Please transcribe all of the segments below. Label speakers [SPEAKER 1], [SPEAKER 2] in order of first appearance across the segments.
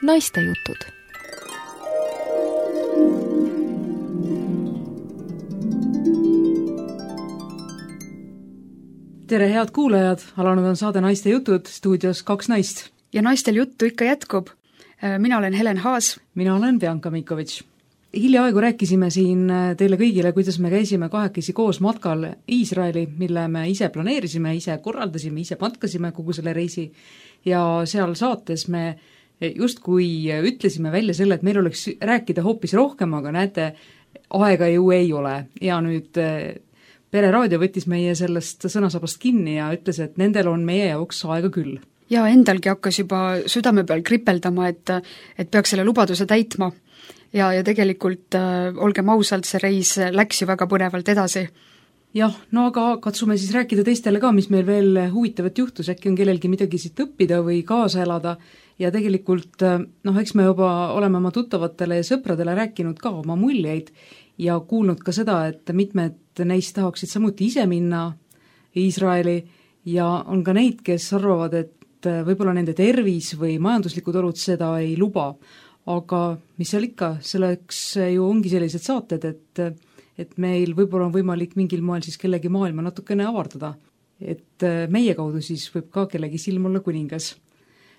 [SPEAKER 1] naistejutud.
[SPEAKER 2] Tere, head kuulajad! Alanud on saade Naiste jutud, stuudios 2 naist.
[SPEAKER 3] Ja naistel juttu ikka jätkub. Mina olen Helen Haas.
[SPEAKER 2] Mina olen Bianca Mikovitš. Hiljaaegu rääkisime siin teile kõigile, kuidas me käisime kahekesi koos matkal Iisraeli, mille me ise planeerisime, ise korraldasime, ise matkasime kogu selle reisi. Ja seal saates me justkui ütlesime välja selle, et meil oleks rääkida hoopis rohkem, aga näete, aega ju ei ole. Ja nüüd Pereraadio võttis meie sellest sõnasabast kinni ja ütles, et nendel on meie jaoks aega küll.
[SPEAKER 3] Ja endalgi hakkas juba südame peal kripeldama, et peaks selle lubaduse täitma. Ja tegelikult, olgem ausalt, see reis läks ju väga põnevalt edasi.
[SPEAKER 2] Jah, no aga katsume siis rääkida teistele ka, mis meil veel huvitavat juhtus, äkki on kellelgi midagi siit õppida või kaasa elada. Ja tegelikult, eks me juba oleme oma tuttavatele ja sõpradele rääkinud ka oma muljeid ja kuulnud ka seda, et mitmed neist tahaksid samuti ise minna Iisraeli ja on ka neid, kes arvavad, et võib-olla nende tervis või majanduslikud olud seda ei luba. Aga mis seal ikka, selleks ju ongi sellised saated, et meil võib-olla on võimalik mingil moel siis kellegi maailma natukene avardada. Et meie kaudu siis võib ka kellegi silm olla kuningas.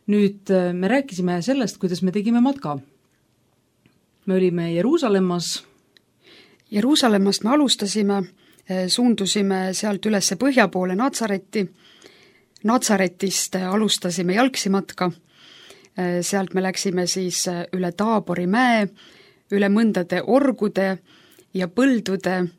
[SPEAKER 2] Nüüd me rääkisime sellest, kuidas me tegime matka. Me olime
[SPEAKER 3] Jeruusalemmast me alustasime, suundusime sealt üles põhja poole Natsaretti. Natsaretist alustasime jalgsi matka. Sealt me läksime siis üle Taabori mäe, üle mõndade orgude ja põldude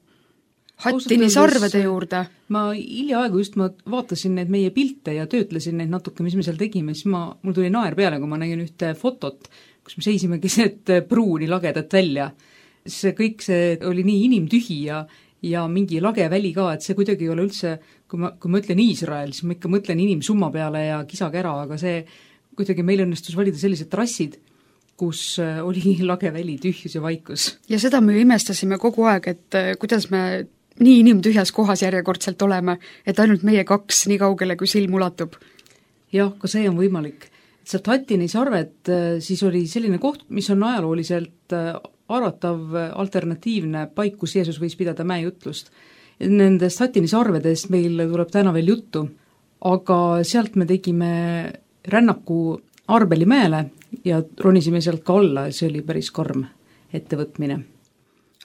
[SPEAKER 3] Hattini sarvede juurde.
[SPEAKER 2] Ma hiljaaegu just vaatasin neid meie pilte ja töötlesin neid natuke, mis me seal tegime, siis mul tuli naer peale, kui ma nägin ühte fotot, kus me seisime keset pruuni lagedat välja. See oli nii inimtühi ja mingi lage väli ka, et see kuidagi ei ole üldse, kui ma ütlen Iisrael, siis ma ikka mõtlen inimsumma peale ja kisakära, aga see kuidagi meil õnnestus valida sellised trassid, kus oli lage väli, tühjus ja vaikus.
[SPEAKER 3] Ja seda me imestasime kogu aeg, et kuidas me nii inimtühjas kohas järjekordselt oleme, et ainult meie 2 nii kaugele, kui silm ulatub.
[SPEAKER 2] Jah, ka see on võimalik. Sealt Hattini sarvet siis oli selline koht, mis on ajalooliselt arvatav alternatiivne paik, kus Jeesus võis pidada mäejutlust. Nendest Hattini sarvedest meil tuleb täna veel juttu, aga sealt me tegime rännaku Arbeli mäele ja ronisime sealt ka alla, see oli päris karm ettevõtmine.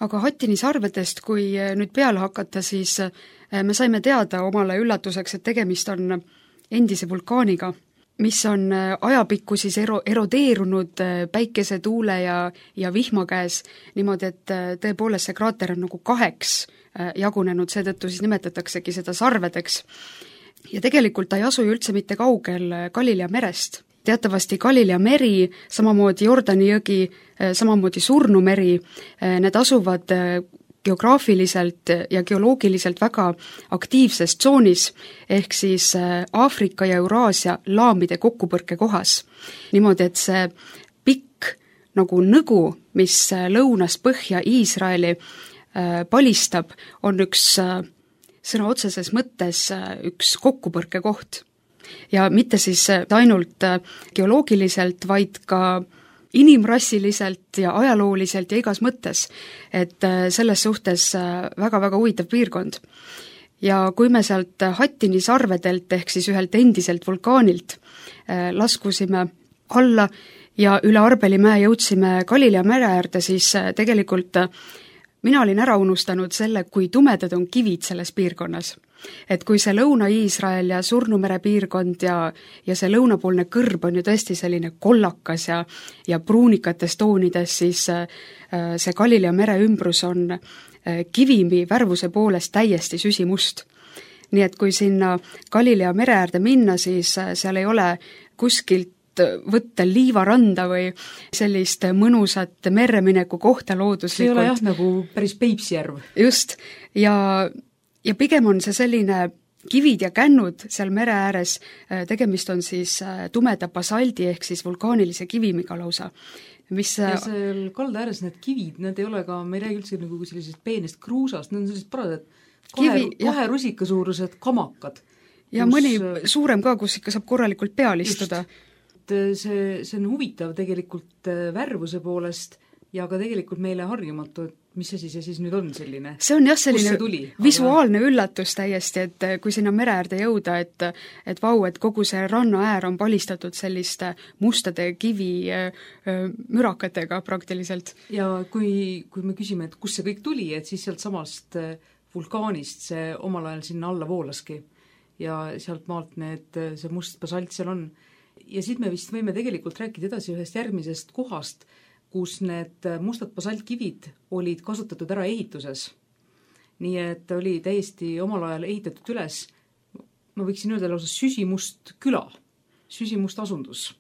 [SPEAKER 3] Aga Hattini sarvedest, kui nüüd peale hakata, siis me saime teada omale üllatuseks, et tegemist on endise vulkaaniga, mis on ajapikku siis erodeerunud päikese, tuule ja vihma käes, niimoodi, et tõepoolest see kraater on nagu 2 jagunenud, seetõttu siis nimetataksegi seda sarvedeks. Ja tegelikult ta ei asu ju üldse mitte kaugel Galilea merest. Teatavasti Galilea meri, samamoodi Jordani jõgi, samamoodi Surnumeri, need asuvad geograafiliselt ja geoloogiliselt väga aktiivses tsoonis, ehk siis Aafrika ja Euraasia laamide kokkupõrke kohas. Niimoodi, et see pikk nagu nõgu, mis lõunast põhja Iisraeli palistab, on üks sõna otseses mõttes üks kokkupõrke koht. Ja mitte siis ainult geoloogiliselt, vaid ka inimrassiliselt ja ajalooliselt ja igas mõttes, et selles suhtes väga-väga huvitav piirkond. Ja kui me sealt Hattini sarvedelt ehk siis ühelt endiselt vulkaanilt laskusime alla ja üle Arbeli mäe jõudsime Galilea mere äärde, siis tegelikult mina olin ära unustanud selle, kui tumedad on kivid selles piirkonnas. Et kui see Lõuna-Iisrael ja Surnumere piirkond ja see lõunapoolne kõrb on ju tõesti selline kollakas ja pruunikates toonides, siis see Galilea mere ümbrus on kivimi värvuse poolest täiesti süsimust. Nii et kui sinna Galilea mere äärde minna, siis seal ei ole kuskilt võtta liivaranda või sellist mõnusat merremineku kohta looduslikult.
[SPEAKER 2] See ei ole jah nagu päris Peipsjärv.
[SPEAKER 3] Just, ja pigem on see selline kivid ja kännud seal mere ääres, tegemist on siis tumeda basaldi ehk siis vulkaanilise kivimiga lausa.
[SPEAKER 2] Ja seal kalda ääres need kivid, need ei ole ka, me ei räägi üldse nagu sellisest peenest kruusast, need on sellised paradad kahe rusikasuurused kamakad.
[SPEAKER 3] Ja mõni suurem ka, kus ikka saab korralikult peal istuda.
[SPEAKER 2] et see on huvitav tegelikult värvuse poolest ja ka tegelikult meile harjumatu, et mis asi see siis nüüd on selline?
[SPEAKER 3] See on jah selline visuaalne üllatus täiesti, et kui sinna mere äärde jõuda, et vau, et kogu see rannaäär on palistatud selliste mustade kivimürakatega praktiliselt.
[SPEAKER 2] Ja kui me küsime, et kus see kõik tuli, et siis sealt samast vulkaanist see omal ajal sinna alla voolaski ja sealt maalt see must basalt seal on. Ja siit me vist võime tegelikult rääkida edasi ühest järgmisest kohast, kus need mustad basaltkivid olid kasutatud ära ehituses. Nii et oli täiesti omal ajal ehitatud üles, ma võiksin öelda lausa süsimust küla, süsimust asundus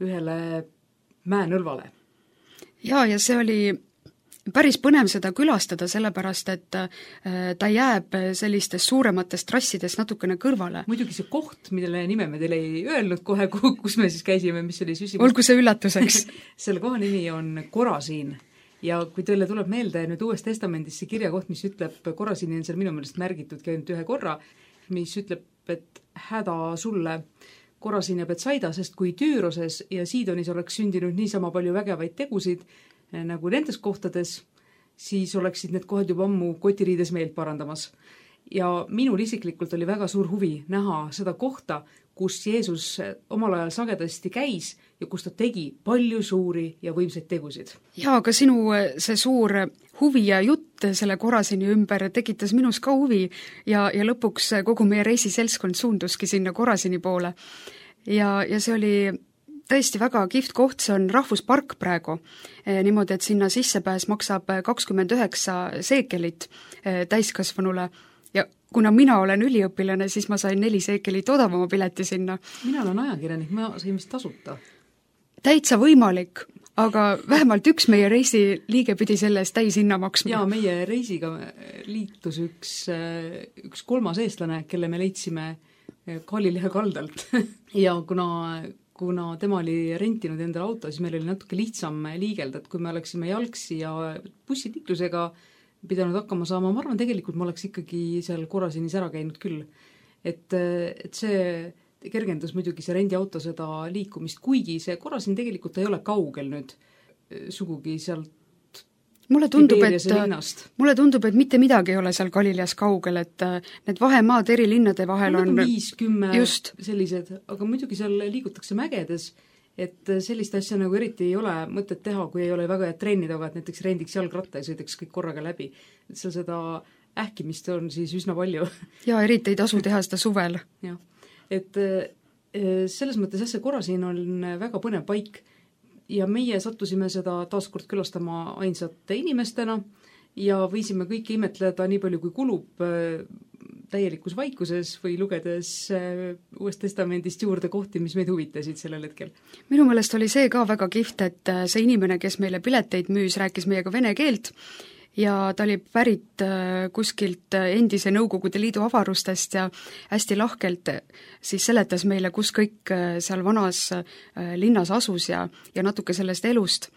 [SPEAKER 2] ühele mäenõlvale.
[SPEAKER 3] Ja see oli päris põnev seda külastada, sellepärast et ta jääb sellistest suurematest trassidest natukene kõrvale.
[SPEAKER 2] Muidugi see koht, millele nime me teile ei öelnud kohe, kus me siis käisime, mis oli süsimust.
[SPEAKER 3] Olgu see üllatuseks.
[SPEAKER 2] Selle koha nimi on Korasiin ja kui teile tuleb meelde nüüd Uues Testamendis see kirjakoht, mis ütleb, Korasiini on seal minu meelest märgitud ainult ühe korra, mis ütleb, et häda sulle Korasiin ja Betsaida, sest kui Tüüroses ja Siidonis oleks sündinud niisama palju vägevaid tegusid, nagu nendes kohtades, siis oleksid need kohad juba ammu kotiriides meelt parandamas. Ja minul isiklikult oli väga suur huvi näha seda kohta, kus Jeesus omal ajal sagedasti käis ja kus ta tegi palju suuri ja võimsaid tegusid.
[SPEAKER 3] Ja aga sinu see suur huvi ja jutt selle Korasini ümber tekitas minus ka huvi ja lõpuks kogu meie reisiseltskond suunduski sinna Korasini poole. Ja see oli tõesti väga kihvt koht, see on rahvuspark praegu, niimoodi, et sinna sissepääs maksab 29 seekelit täiskasvanule ja kuna mina olen üliõpilane, siis ma sain 4 seekelit odavama pileti sinna.
[SPEAKER 2] Mina olen ajakirjanik, ma sain vist tasuta.
[SPEAKER 3] Täitsa võimalik, aga vähemalt üks meie reisi liige pidi selle eest täishinna maksma.
[SPEAKER 2] Ja meie reisiga liitus üks kolmas eestlane, kelle me leidsime Galilehe kaldalt ja kuna tema oli rentinud endale auto, siis meil oli natuke lihtsam liigelda, et kui me oleksime jalgsi ja bussiliiklusega pidanud hakkama saama, ma arvan, tegelikult ma oleks ikkagi seal Korasinis ära käinud küll. Et see kergendas muidugi see rendiauto seda liikumist, kuigi see Korasin tegelikult ei ole kaugel nüüd sugugi sealt Mulle tundub,
[SPEAKER 3] et mitte midagi ei ole seal Galileas kaugel, et need vahemaad eri linnade vahel on
[SPEAKER 2] 5-10 sellised, aga muidugi seal liigutakse mägedes, et sellist asja nagu eriti ei ole mõtet teha, kui ei ole väga head trenni taga, et näiteks rendiks jalgratta ja sõidaks kõik korraga läbi. Et seal seda ähkimist on siis üsna palju.
[SPEAKER 3] Ja eriti ei tasu teha seda suvel.
[SPEAKER 2] Ja. Et selles mõttes see Korasiin on väga põnev paik, ja meie sattusime seda taaskord külastama ainsate inimestena ja võisime kõike imetleda nii palju, kui kulub täielikus vaikuses või lugedes Uuest Testamendist juurde kohti, mis meid huvitasid sellel hetkel.
[SPEAKER 3] Minu meelest oli see ka väga kihvt, et see inimene, kes meile pileteid müüs, rääkis meiega vene keelt ja ta oli pärit kuskilt endise Nõukogude Liidu avarustest ja hästi lahkelt siis seletas meile, kus kõik seal vanas linnas asus ja natuke sellest elust.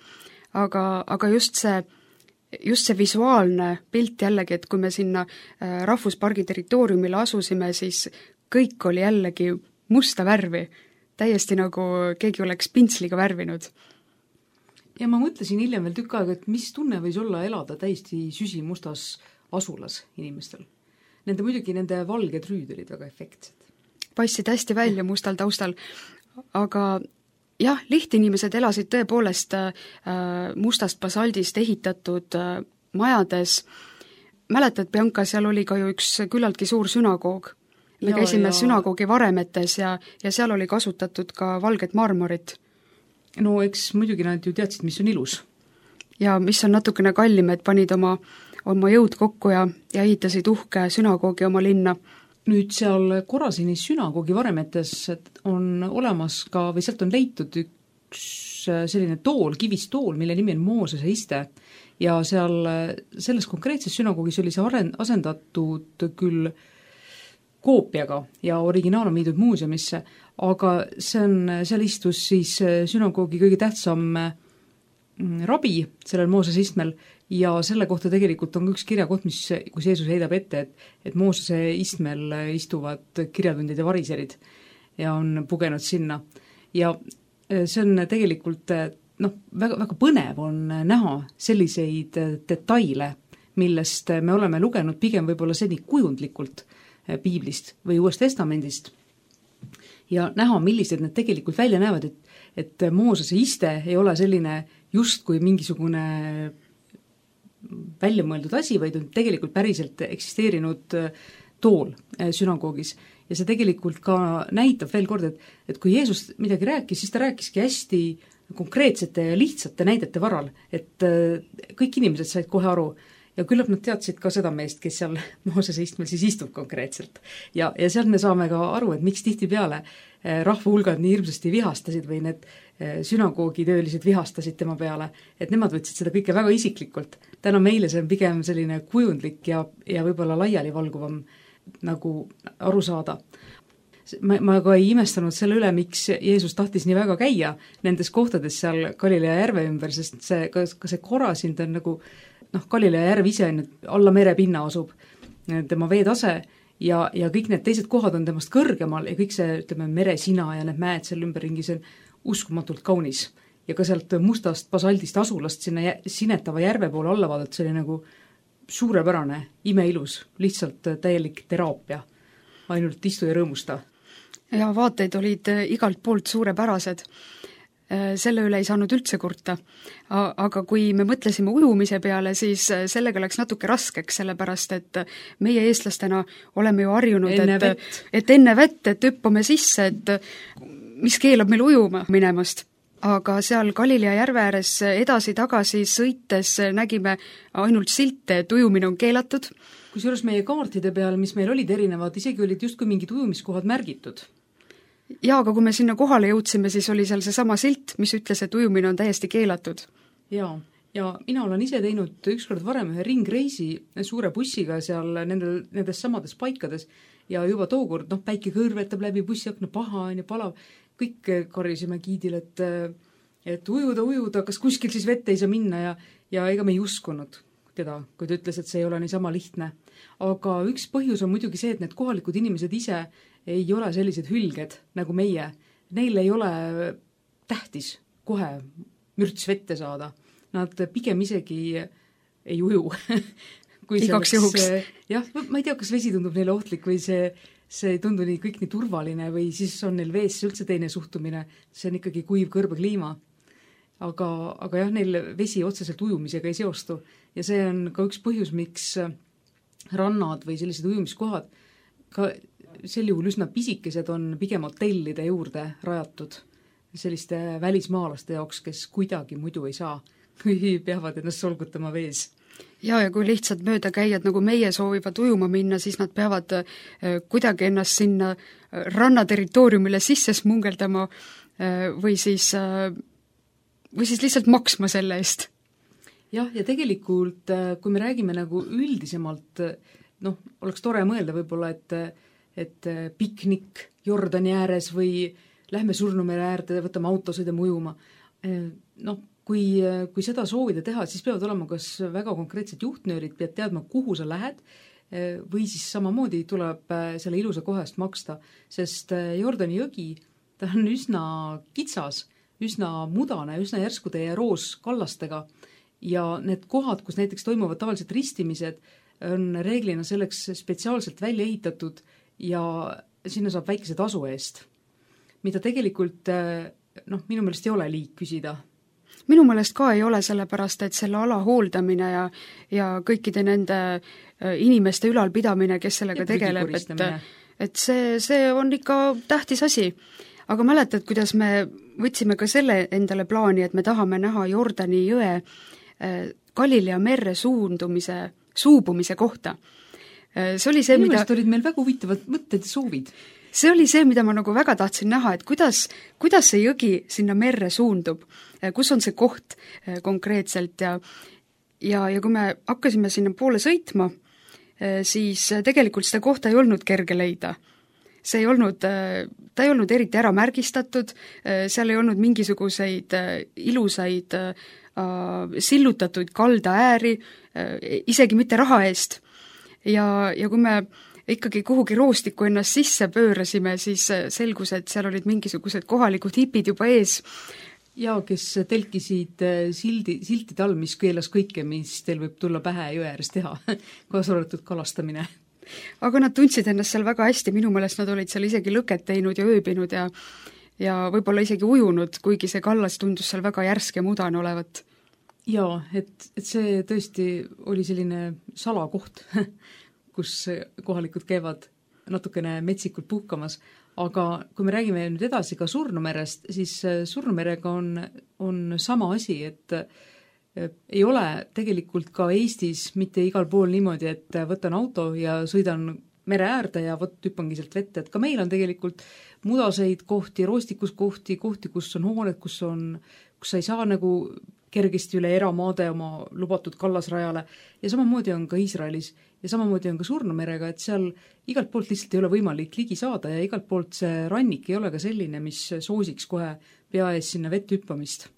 [SPEAKER 3] Aga just see visuaalne pilt jällegi, et kui me sinna rahvuspargi territooriumile asusime, siis kõik oli jällegi musta värvi, täiesti nagu keegi oleks pintsliga värvinud.
[SPEAKER 2] Ja ma mõtlesin hiljem veel tükk aega, et mis tunne võis olla elada täiesti süsimustas asulas inimestel. Nende valged rüüd olid väga efektsed.
[SPEAKER 3] Passid hästi välja mustal taustal, aga jah, lihtinimesed elasid tõepoolest mustast basaldist ehitatud majades. Mäletad, Bianca, seal oli ka ju üks küllaltki suur sünagoog. Me käisime sünagoogi varemetes ja seal oli kasutatud ka valget marmorit.
[SPEAKER 2] No eks muidugi nad ju teadsid, mis on ilus.
[SPEAKER 3] Ja mis on natukene kallim, et panid oma jõud kokku ja ehitasid uhke sünagoogi oma linna.
[SPEAKER 2] Nüüd seal Korasinis sünagoogi varemetes on olemas ka, või sealt on leitud üks selline tool, kivist tool, mille nimi on Moosese iste. Ja selles konkreetses sünagoogis oli see asendatud küll koopiaga ja originaal on viidud muuseumisse, aga seal istus siis sünagoogi kõige tähtsam rabi sellel Moosese istmel ja selle kohta tegelikult on üks kirjakoht, kus Jeesus heidab ette, et Moosese istmel istuvad kirjatundid ja variserid ja on pugenud sinna. Ja see on tegelikult väga, väga põnev on näha selliseid detaile, millest me oleme lugenud pigem võib-olla seni kujundlikult piiblist või Uuest Testamendist ja näha, millised need tegelikult välja näevad, et Moosese iste ei ole selline justkui mingisugune väljamõeldud asi, vaid on tegelikult päriselt eksisteerinud tool sünagoogis. Ja see tegelikult ka näitab veel kord, et kui Jeesus midagi rääkis, siis ta rääkiski hästi konkreetsete ja lihtsate näidete varal, et kõik inimesed said kohe aru ja küllap nad teadsid ka seda meest, kes seal Moosese istmel siis istub konkreetselt. Ja sealt me saame ka aru, et miks tihtipeale rahvahulgad nii hirmsasti vihastasid või need sünagoogitöölised vihastasid tema peale, et nemad võtsid seda kõike väga isiklikult. Täna meile see on pigem selline kujundlik ja võib-olla laialivalguvam nagu aru saada. Ma ka ei imestanud selle üle, miks Jeesus tahtis nii väga käia nendes kohtades seal Galilea järve ümber, sest ka see Korasind on nagu Galilea järv ise on alla merepinna asub tema veetase ja kõik need teised kohad on temast kõrgemal ja kõik see, ütleme, meresina ja need mäed seal ümberringi, see on uskumatult kaunis. Ja ka sealt mustast basaldist asulast sinna sinetava järve poole alla vaadata, see oli nagu suurepärane, imeilus, lihtsalt täielik teraapia, ainult istu ja rõõmusta.
[SPEAKER 3] Ja vaateid olid igalt poolt suurepärased. Selle üle ei saanud üldse kurta. Aga kui me mõtlesime ujumise peale, siis sellega läks natuke raskeks, sellepärast et meie eestlastena oleme ju harjunud, et enne vett, et hüppame sisse, et mis keelab meil ujuma minemast. Aga seal Galilea järve ääres edasi-tagasi sõites nägime ainult silte, et ujumine on keelatud.
[SPEAKER 2] Kusjuures meie kaartide peal, mis meil olid erinevad, isegi olid justkui mingid ujumiskohad märgitud.
[SPEAKER 3] Jaa, aga kui me sinna kohale jõudsime, siis oli seal see sama silt, mis ütles, et ujumine on täiesti keelatud.
[SPEAKER 2] Jaa, ja mina olen ise teinud ükskord varem ühe ringreisi suure bussiga seal nendes samades paikades ja juba tookord, päike kõrvetab läbi bussiakna, paha on ja palav, kõik karjusime giidil, et ujuda, kas kuskil siis vette ei saa minna ja ega me ei uskunud teda, kui ta ütles, et see ei ole niisama lihtne. Aga üks põhjus on muidugi see, et need kohalikud inimesed ise ei ole sellised hülged nagu meie. Neil ei ole tähtis kohe mürts vette saada. Nad pigem isegi ei uju.
[SPEAKER 3] Igaks juhuks.
[SPEAKER 2] Jah, ma ei tea, kas vesi tundub neile ohtlik või see ei tundu kõik nii turvaline või siis on neil vees üldse teine suhtumine. See on ikkagi kuiv kõrbekliima. Aga jah, neil vesi otseselt ujumisega ei seostu. Ja see on ka üks põhjus, miks rannad või sellised ujumiskohad ka sel juhul üsna pisikesed on pigem hotellide juurde rajatud selliste välismaalaste jaoks, kes kuidagi muidu ei saa, kui peavad ennast solgutama vees.
[SPEAKER 3] Ja kui lihtsalt mööda käijad nagu meie soovivad ujuma minna, siis nad peavad kuidagi ennast sinna rannaterritooriumile sisse smungeldama või siis lihtsalt maksma selle eest.
[SPEAKER 2] Jah, ja tegelikult, kui me räägime nagu üldisemalt, oleks tore mõelda võib-olla, et piknik Jordani ääres või lähme Surnumere äärde, võtame auto, sõidame ujuma. Kui seda soovida teha, siis peavad olema kas väga konkreetsed juhtnöörid, pead teadma, kuhu sa lähed, või siis samamoodi tuleb selle ilusa koha eest maksta, sest Jordani jõgi, ta on üsna kitsas, üsna mudane, üsna järskude ja roos kallastega ja need kohad, kus näiteks toimuvad tavaliselt ristimised, on reeglina selleks spetsiaalselt välja ehitatud ja sinna saab väikese tasu eest, mida tegelikult minu meelest ei ole liig küsida.
[SPEAKER 3] Minu meelest ka ei ole, sellepärast, et selle ala hooldamine ja kõikide nende inimeste ülalpidamine, kes sellega tegeleb, et see on ikka tähtis asi. Aga mäletad, kuidas me võtsime ka selle endale plaani, et me tahame näha Jordani jõe Galilea merre suubumise kohta. See oli see,
[SPEAKER 2] mida olid meil väga huvitavad mõtted ja soovid.
[SPEAKER 3] See oli see, mida ma nagu väga tahtsin näha, et kuidas see jõgi sinna merre suundub, kus on see koht konkreetselt ja kui me hakkasime sinna poole sõitma, siis tegelikult seda kohta ei olnud kerge leida. Ta ei olnud eriti ära märgistatud, seal ei olnud mingisuguseid ilusaid sillutatud kalda ääri, isegi mitte raha eest. Ja kui me ikkagi kuhugi roostikku ennast sisse pöörasime, siis selgus, et seal olid mingisugused kohalikud hipid juba ees.
[SPEAKER 2] Ja kes telkisid siltide all, mis keelas kõike, mis teil võib tulla pähe jõe ääres teha, kaasa arvatud kalastamine.
[SPEAKER 3] Aga nad tundsid ennast seal väga hästi, minu meelest nad olid seal isegi lõket teinud ja ööbinud ja võib-olla isegi ujunud, kuigi see kallas tundus seal väga järsk ja mudane olevat.
[SPEAKER 2] Jaa, et see tõesti oli selline salakoht, kus kohalikud käivad natukene metsikult puhkamas, aga kui me räägime nüüd edasi ka Surnumerest, siis Surnumerega on sama asi, et ei ole tegelikult ka Eestis mitte igal pool niimoodi, et võtan auto ja sõidan mere äärde ja hüppangi sealt vette, et ka meil on tegelikult mudaseid kohti, roostikuskohti, kus on hooned, kus sa ei saa nagu kergesti üle eramaade oma lubatud kallasrajale ja samamoodi on ka Iisraelis ja samamoodi on ka Surnumerega, et seal igalt poolt lihtsalt ei ole võimalik ligi saada ja igalt poolt see rannik ei ole ka selline, mis soosiks kohe pea ees sinna vett hüppamist.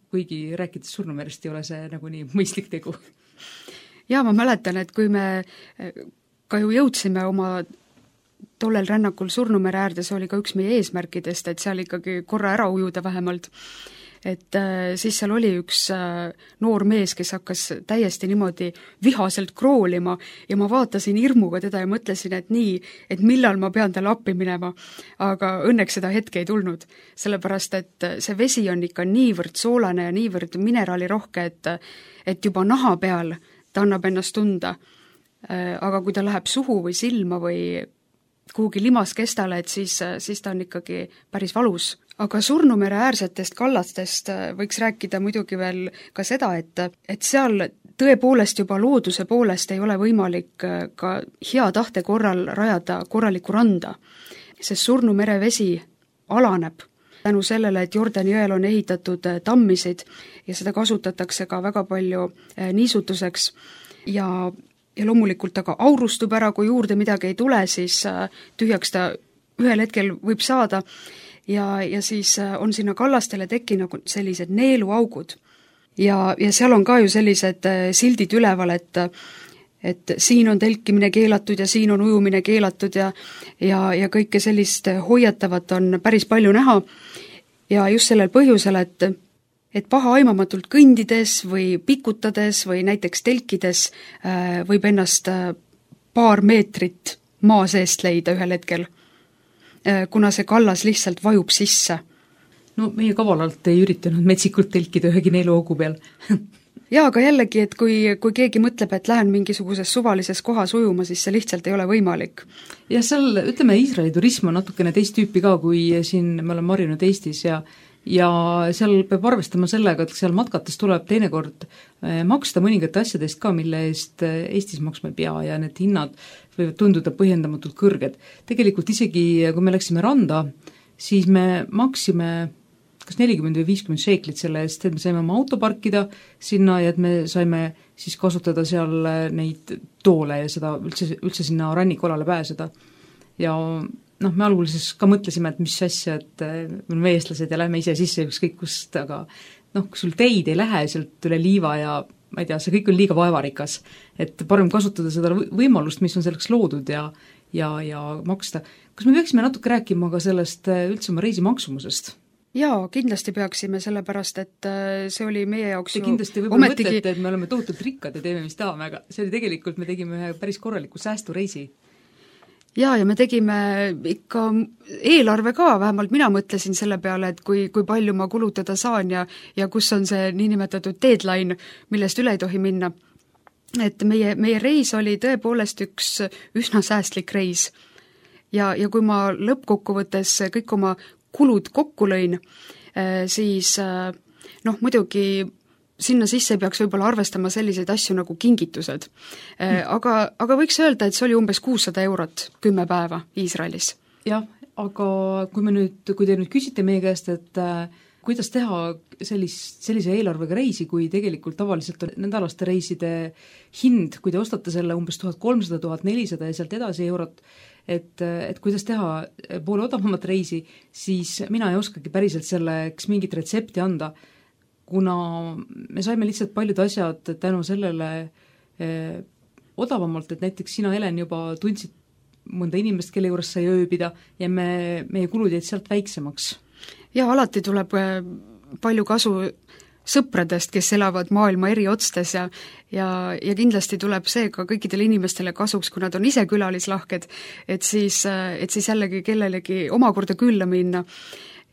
[SPEAKER 2] Kuigi rääkides Surnumerest ei ole see nagu nii mõistlik tegu.
[SPEAKER 3] Jaa, ma mäletan, et kui me ka ju jõudsime oma tollel rännakul Surnumere äärde, see oli ka üks meie eesmärkidest, et seal ikkagi korra ära ujuda vähemalt. Et siis seal oli üks noor mees, kes hakkas täiesti niimoodi vihaselt kroolima ja ma vaatasin hirmuga teda ja mõtlesin, et nii, et millal ma pean talle appi minema. Aga õnneks seda hetke ei tulnud, sellepärast et see vesi on ikka niivõrd soolane ja niivõrd mineraalirohke, et juba naha peal ta annab ennast tunda. Aga kui ta läheb suhu või silma või kuhugi limaskestale, et siis ta on ikkagi päris valus. Aga Surnumere äärsetest kallastest võiks rääkida muidugi veel ka seda, et seal tõepoolest juba looduse poolest ei ole võimalik ka hea tahte korral rajada korralikku randa, sest Surnumere vesi alaneb tänu sellele, et Jordani jõel on ehitatud tammisid ja seda kasutatakse ka väga palju niisutuseks ja loomulikult aga aurustub ära, kui juurde midagi ei tule, siis tühjaks ta ühel hetkel võib saada ja siis on sinna kallastele tekkinud sellised neeluaugud. Ja seal on ka ju sellised sildid üleval, et siin on telkimine keelatud ja siin on ujumine keelatud ja kõike sellist hoiatavat on päris palju näha. Ja just sellel põhjusel, et paha aimamatult kõndides või pikutades või näiteks telkides võib ennast paar meetrit maa seest leida ühel hetkel, kuna see kallas lihtsalt vajub sisse.
[SPEAKER 2] No meie kavalalt ei üritanud metsikult telkida ühegi neeluaugu peal.
[SPEAKER 3] Jaa, aga jällegi, et kui keegi mõtleb, et lähen mingisuguses suvalises kohas ujuma, siis see lihtsalt ei ole võimalik.
[SPEAKER 2] Ja seal, ütleme, Iisraeli turism on natukene teist tüüpi ka, kui siin me oleme marinud Eestis ja seal peab arvestama sellega, et seal matkates tuleb teinekord maksta mõningate asjadest ka, mille eest Eestis maksma ei pea ja need hinnad võivad tunduda põhjendamatult kõrged. Tegelikult isegi, kui me läksime randa, siis me maksime kas 40 või 50 šeiklit selle eest, et me saime oma auto parkida sinna ja et me saime siis kasutada seal neid toole ja seda üldse sinna rannikualale pääseda. Ja me alguses ka mõtlesime, et mis asja, et me oleme eestlased ja lähme ise sisse ükskõik kust, aga kui sul teid ei lähe sealt üle liiva ja ma ei tea, see kõik on liiga vaevarikas, et parem kasutada seda võimalust, mis on selleks loodud ja maksta. Kas me peaksime natuke rääkima ka sellest üldse oma reisi maksumusest?
[SPEAKER 3] Jaa, kindlasti peaksime, sellepärast, et see oli meie jaoks
[SPEAKER 2] Te kindlasti võib-olla mõtlete, et me oleme tohutult rikkad ja teeme, mis tahame, aga see oli tegelikult, me tegime ühe päris korraliku säästureisi.
[SPEAKER 3] Ja me tegime ikka eelarve ka, vähemalt mina mõtlesin selle peale, et kui palju ma kulutada saan ja kus on see niinimetatud deadline, millest üle ei tohi minna. Et meie reis oli tõepoolest üks üsna säästlik reis. Ja kui ma lõppkokkuvõttes kõik oma kulud kokku lõin, siis muidugi sinna sisse peaks võib-olla arvestama selliseid asju nagu kingitused. Aga võiks öelda, et see oli umbes 600 eurot 10 päeva Iisraelis.
[SPEAKER 2] Jah, aga kui te nüüd küsite meie käest, et kuidas teha sellise eelarvega reisi, kui tegelikult tavaliselt on nädalaste reiside hind, kui te ostate selle umbes 1300-1400 ja sealt edasi eurot, et kuidas teha poole odavamat reisi, siis mina ei oskagi päriselt selleks mingit retsepti anda, kuna me saime lihtsalt paljud asjad tänu sellele odavamalt, et näiteks sina, Helen, juba tundsid mõnda inimest, kelle juures sai ööbida ja meie kulud jäid sealt väiksemaks?
[SPEAKER 3] Jaa, alati tuleb palju kasu sõpradest, kes elavad maailma eri otstes ja kindlasti tuleb see ka kõikidele inimestele kasuks, kui nad on ise külalislahked, et siis jällegi kellelegi omakorda külla minna.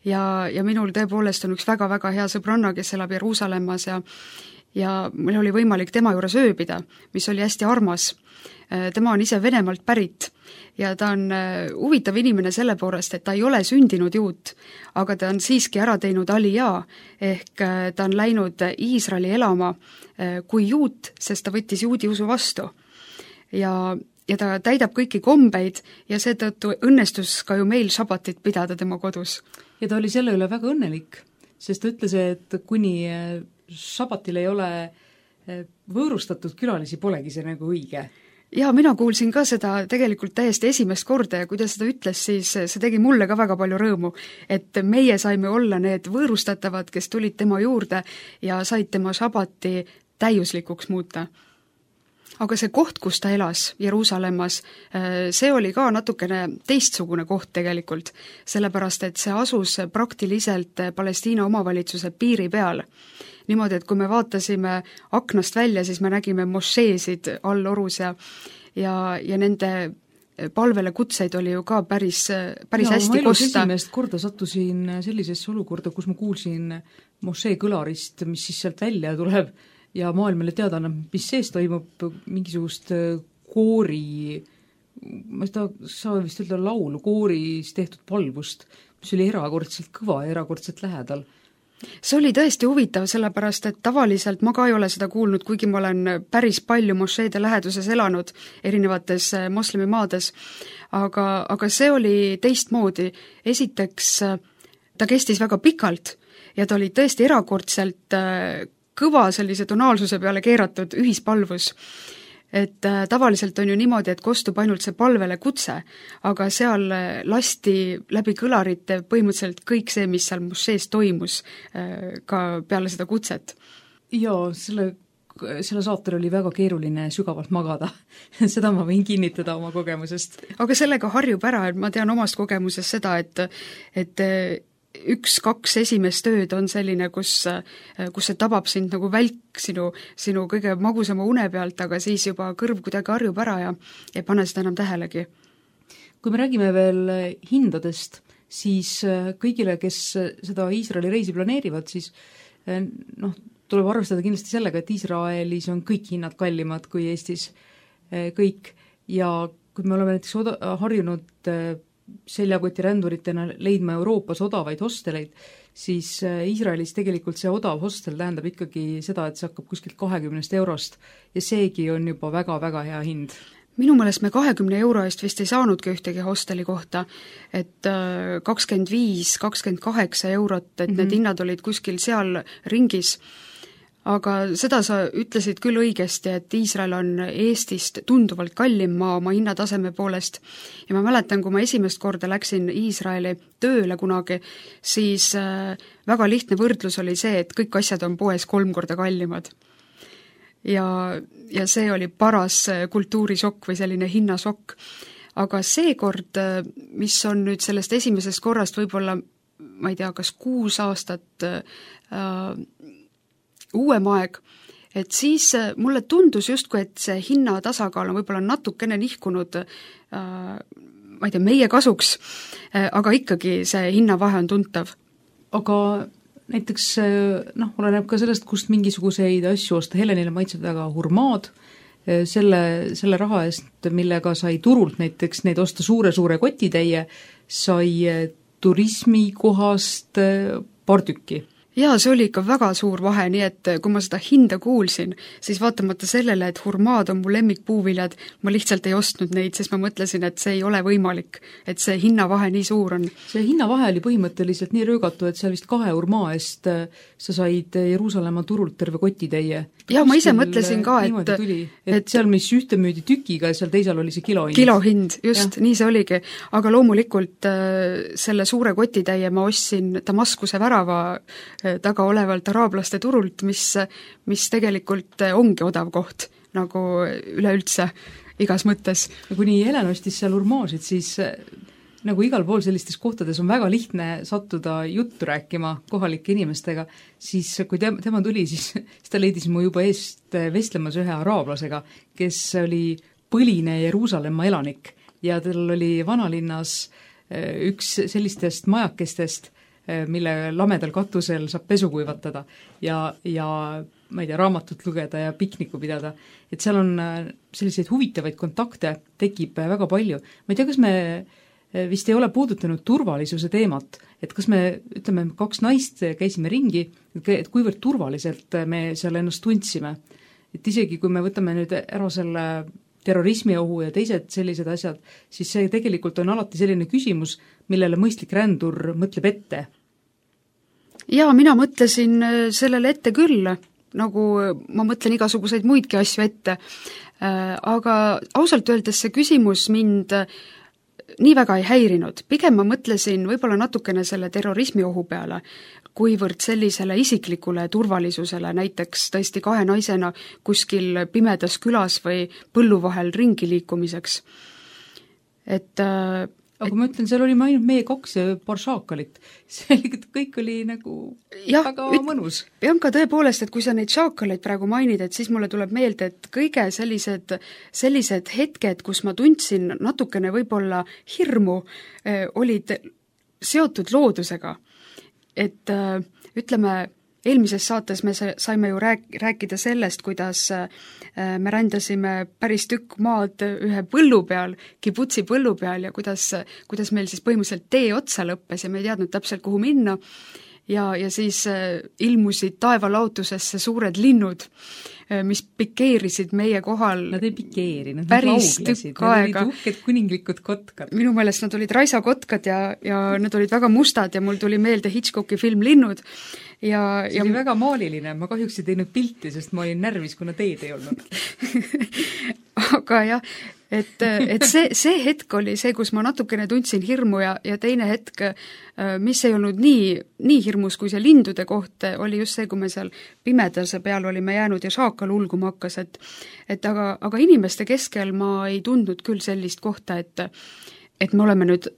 [SPEAKER 3] Ja minul tõepoolest on üks väga-väga hea sõbranna, kes elab Jeruusalemmas ja meil oli võimalik tema juures ööbida, mis oli hästi armas. Tema on ise Venemaalt pärit ja ta on huvitav inimene selle poolest, et ta ei ole sündinud juut, aga ta on siiski ära teinud alijaa, ehk ta on läinud Iisraeli elama kui juut, sest ta võttis juudi usu vastu. Ja ta täidab kõiki kombeid ja seetõttu õnnestus ka ju meil šabatit pidada tema kodus.
[SPEAKER 2] Ja ta oli selle üle väga õnnelik, sest ta ütles, et kuni šabatil ei ole võõrustatud külalisi, polegi see nagu õige.
[SPEAKER 3] Jaa, mina kuulsin ka seda tegelikult täiesti esimest korda ja kui ta seda ütles, siis see tegi mulle ka väga palju rõõmu, et meie saime olla need võõrustatavad, kes tulid tema juurde ja said tema šabati täiuslikuks muuta. Aga see koht, kus ta elas, Jeruusalemmas, see oli ka natukene teistsugune koht tegelikult, sellepärast et see asus praktiliselt Palestiina omavalitsuse piiri peal. Niimoodi, et kui me vaatasime aknast välja, siis me nägime mošeesid all orus ja nende palvele kutseid oli ju ka päris hästi kosta.
[SPEAKER 2] Esimest korda sattusin sellisesse olukorda, kus ma kuulsin mošee kõlarist, mis siis sealt välja tuleb ja maailmale teada annab, mis sees toimub, mingisugust koori, ma saa vist öelda laulu, kooris tehtud palvust, mis oli erakordselt kõva ja erakordselt lähedal.
[SPEAKER 3] See oli tõesti huvitav, sellepärast et tavaliselt ma ka ei ole seda kuulnud, kuigi ma olen päris palju mošeede läheduses elanud erinevates moslemimaades, aga see oli teistmoodi. Esiteks ta kestis väga pikalt ja ta oli tõesti erakordselt kõva sellise tonaalsuse peale keeratud ühispalvus. Et tavaliselt on ju niimoodi, et kostub ainult see palvele kutse, aga seal lasti läbi kõlarite põhimõtteliselt kõik see, mis seal mošees toimus ka peale seda kutset.
[SPEAKER 2] Jaa, selle saatel oli väga keeruline sügavalt magada. Seda ma võin kinnitada oma kogemusest.
[SPEAKER 3] Aga sellega harjub ära, et ma tean omast kogemusest seda, et 1-2 esimest ööd on selline, kus see tabab sind nagu välk sinu kõige magusama une pealt, aga siis juba kõrv kuidagi harjub ära ja ei pane seda enam tähelegi.
[SPEAKER 2] Kui me räägime veel hindadest, siis kõigile, kes seda Iisraeli reisi planeerivad, siis tuleb arvestada kindlasti sellega, et Iisraelis on kõik hinnad kallimad kui Eestis kõik ja kui me oleme näiteks harjunud seljakotiränduritena leidma Euroopas odavaid hosteleid, siis Iisraelis tegelikult see odav hostel tähendab ikkagi seda, et see hakkab kuskilt 20 eurost ja seegi on juba väga-väga hea hind.
[SPEAKER 3] Minu meelest me 20 euro eest vist ei saanudki ühtegi hosteli kohta, et 25-28 eurot, et need hinnad olid kuskil seal ringis. Aga seda sa ütlesid küll õigesti, et Iisrael on Eestist tunduvalt kallim maa oma hinnataseme poolest ja ma mäletan, kui ma esimest korda läksin Iisraeli tööle kunagi, siis väga lihtne võrdlus oli see, et kõik asjad on poes 3 korda kallimad. Ja see oli paras kultuurisokk või selline hinnasokk. Aga seekord, mis on nüüd sellest esimesest korrast võib-olla, ma ei tea, kas 6 aastat uuem aeg, et siis mulle tundus justkui, et see hinnatasakaal on võib-olla natukene nihkunud ma ei tea, meie kasuks, aga ikkagi see hinnavahe on tuntav.
[SPEAKER 2] Aga näiteks oleneb ka sellest, kust mingisuguseid asju osta. Helenile maitseb väga hurmaad, selle raha eest, millega sai turult näiteks neid osta suure kotitäie, sai turismikohast paar tükki.
[SPEAKER 3] Jaa, see oli ikka väga suur vahe, nii et kui ma seda hinda kuulsin, siis vaatamata sellele, et hurmaad on mu lemmikpuuviljad, ma lihtsalt ei ostnud neid, sest ma mõtlesin, et see ei ole võimalik, et see hinnavahe nii suur on. See
[SPEAKER 2] hinnavahe oli põhimõtteliselt nii röögatu, et seal vist 2 hurmaa eest sa said Jeruusalemma turult terve kotitäie.
[SPEAKER 3] Jaa, ma ise mõtlesin ka,
[SPEAKER 2] et seal, mis ühte müüdi tükiga ja seal teisel oli see kilohind.
[SPEAKER 3] Kilohind, just, nii see oligi. Aga loomulikult selle suure kotitäie ma ostsin Damaskuse värava taga olevalt araablaste turult, mis tegelikult ongi odav koht, nagu üleüldse igas mõttes.
[SPEAKER 2] ja kuni Helen ostis seal urmaasid, siis nagu igal pool sellistes kohtades on väga lihtne sattuda juttu rääkima kohalike inimestega, siis kui tema tuli, siis ta leidis mu juba eest vestlemas ühe araablasega, kes oli põline Jeruusalemma elanik ja tal oli vanalinnas üks sellistest majakestest, mille lamedal katusel saab pesu kuivatada ja ma ei tea, raamatut lugeda ja pikniku pidada. Et seal on selliseid huvitavaid kontakte, tekib väga palju. Ma ei tea, kas me vist ei ole puudutanud turvalisuse teemat, et kas me, ütleme, 2 naist käisime ringi, et kuivõrd turvaliselt me seal ennast tundsime. Et isegi kui me võtame nüüd ära selle terrorismiohu ja teised sellised asjad, siis see tegelikult on alati selline küsimus, millele mõistlik rändur mõtleb ette.
[SPEAKER 3] Jaa, mina mõtlesin sellele ette küll, nagu ma mõtlen igasuguseid muidki asju ette, aga ausalt öeldes see küsimus mind nii väga ei häirinud. Pigem ma mõtlesin võib-olla natukene selle terrorismiohu peale, kuivõrd sellisele isiklikule turvalisusele, näiteks tõesti 2 naisena kuskil pimedas külas või põllu vahel ringi liikumiseks.
[SPEAKER 2] Aga ma ütlen, seal olime ainult meie 2 ja paar šaakalit. See kõik oli nagu väga mõnus.
[SPEAKER 3] Ja ka tõepoolest, et kui sa neid šaakaleid praegu mainid, et siis mulle tuleb meelde, et kõige sellised hetked, kus ma tundsin natukene võib-olla hirmu, olid seotud loodusega. Et ütleme, eelmises saates me saime ju rääkida sellest, kuidas me rändasime päris tükk maad ühe põllu peal, kibutsi põllu peal ja kuidas meil siis põhimõtteliselt tee otsa lõppes ja me ei teadnud täpselt, kuhu minna. Ja siis ilmusid taevalautusesse suured linnud, mis pikeerisid meie kohal.
[SPEAKER 2] Nad ei pikeerinud,
[SPEAKER 3] nad lauglesid, nad
[SPEAKER 2] olid uhked kuninglikud kotkad.
[SPEAKER 3] Minu meelest nad olid raisakotkad ja nad olid väga mustad ja mul tuli meelde Hitchcocki film Linnud.
[SPEAKER 2] See oli väga maaliline, ma kahjuks ei teinud pilti, sest ma olin närvis, kuna teed ei olnud.
[SPEAKER 3] Aga jah, et see hetk oli see, kus ma natukene tundsin hirmu ja teine hetk, mis ei olnud nii hirmus kui see lindude koht, oli just see, kui me seal pimedase peal olime jäänud ja šaakal ulguma hakkas, aga inimeste keskel ma ei tundnud küll sellist kohta, et me oleme nüüd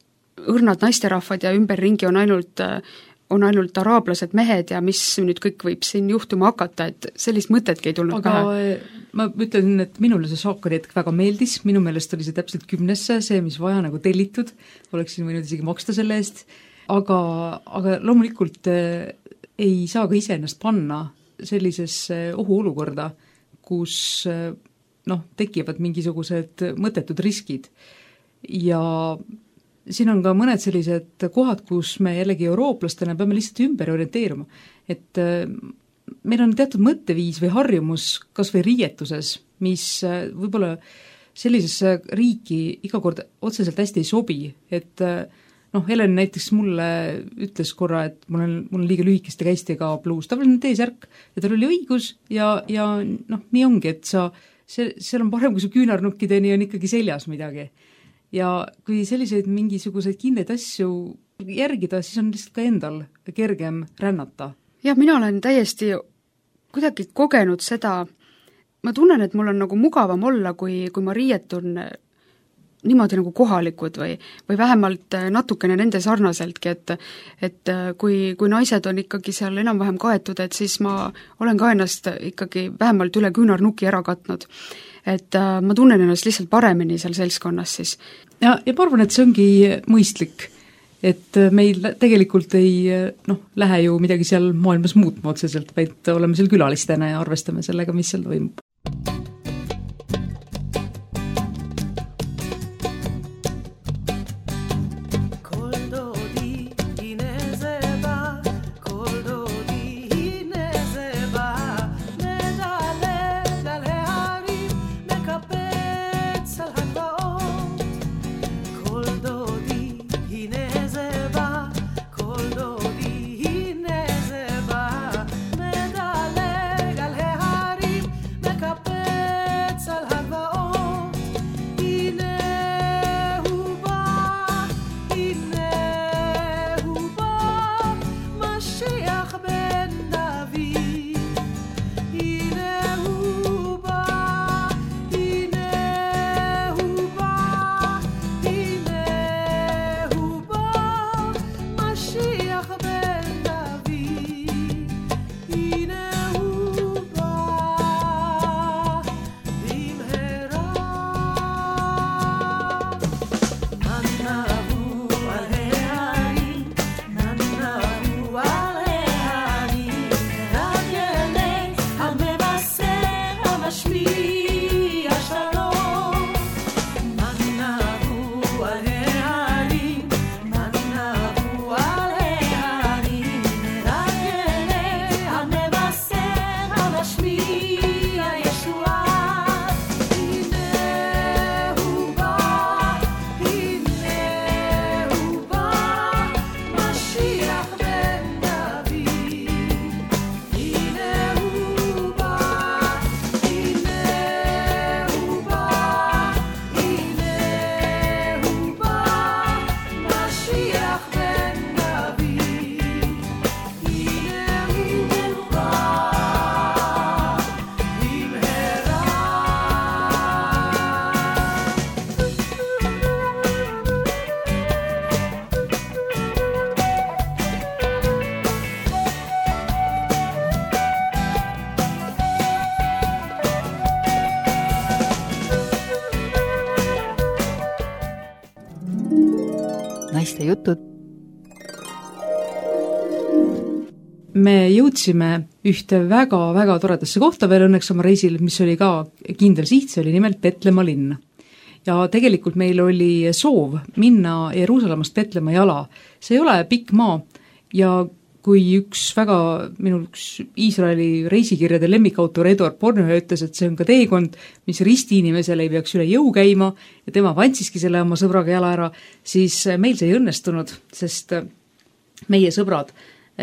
[SPEAKER 3] õrnad naisterahvad ja ümberringi on ainult araablased mehed ja mis nüüd kõik võib siin juhtuma hakata, et sellist mõtetki ei tulnud pähe.
[SPEAKER 2] Ma ütlen, et minule see šaakari hetk väga meeldis, minu meelest oli see täpselt 10, see, mis vaja nagu tellitud, oleksin võinud isegi maksta selle eest, aga loomulikult ei saa ka ise ennast panna sellisesse ohuolukorda, kus tekivad mingisugused mõttetud riskid ja siin on ka mõned sellised kohad, kus me jällegi eurooplastena peame lihtsalt ümber orienteeruma, et meil on teatud mõtteviis või harjumus kas või riietuses, mis võib-olla sellisesse riiki iga kord otseselt hästi ei sobi, et Helen näiteks mulle ütles korra, et mul on liiga lühikeste käistega pluus, tavaline T-särk ja tal oli õigus ja nii ongi, et seal on parem, kui su küünarnukkideni on ikkagi seljas midagi. Ja kui selliseid mingisuguseid kindeid asju järgida, siis on lihtsalt ka endal kergem rännata.
[SPEAKER 3] Jah, mina olen täiesti kuidagi kogenud seda, ma tunnen, et mul on nagu mugavam olla, kui ma riietun niimoodi nagu kohalikud või vähemalt natukene nende sarnaseltki, et kui naised on ikkagi seal enam-vähem kaetud, et siis ma olen ka ennast ikkagi vähemalt üle küünarnuki ära katnud. Et ma tunnen ennast lihtsalt paremini seal seltskonnas siis.
[SPEAKER 2] Ja ma arvan, et see ongi mõistlik, et meil tegelikult ei lähe ju midagi seal maailmas muutma otseselt, vaid oleme seal külalistena ja arvestame sellega, mis seal toimub.
[SPEAKER 1] naiste jutud.
[SPEAKER 2] Me jõudsime ühte väga-väga toredasse kohta veel õnneks oma reisil, mis oli ka kindel siht, see oli nimelt Petlemma linn. Ja tegelikult meil oli soov minna Jeruusalemmast Petlemma jala. See ei ole pikk maa ja kui minu üks Iisraeli reisikirjade lemmikautor Eduard Bornhöhe ütles, et see on ka teekond, mis risti inimesele ei peaks üle jõu käima ja tema vantsiski selle oma sõbraga jala ära, siis meil see ei õnnestunud, sest meie sõbrad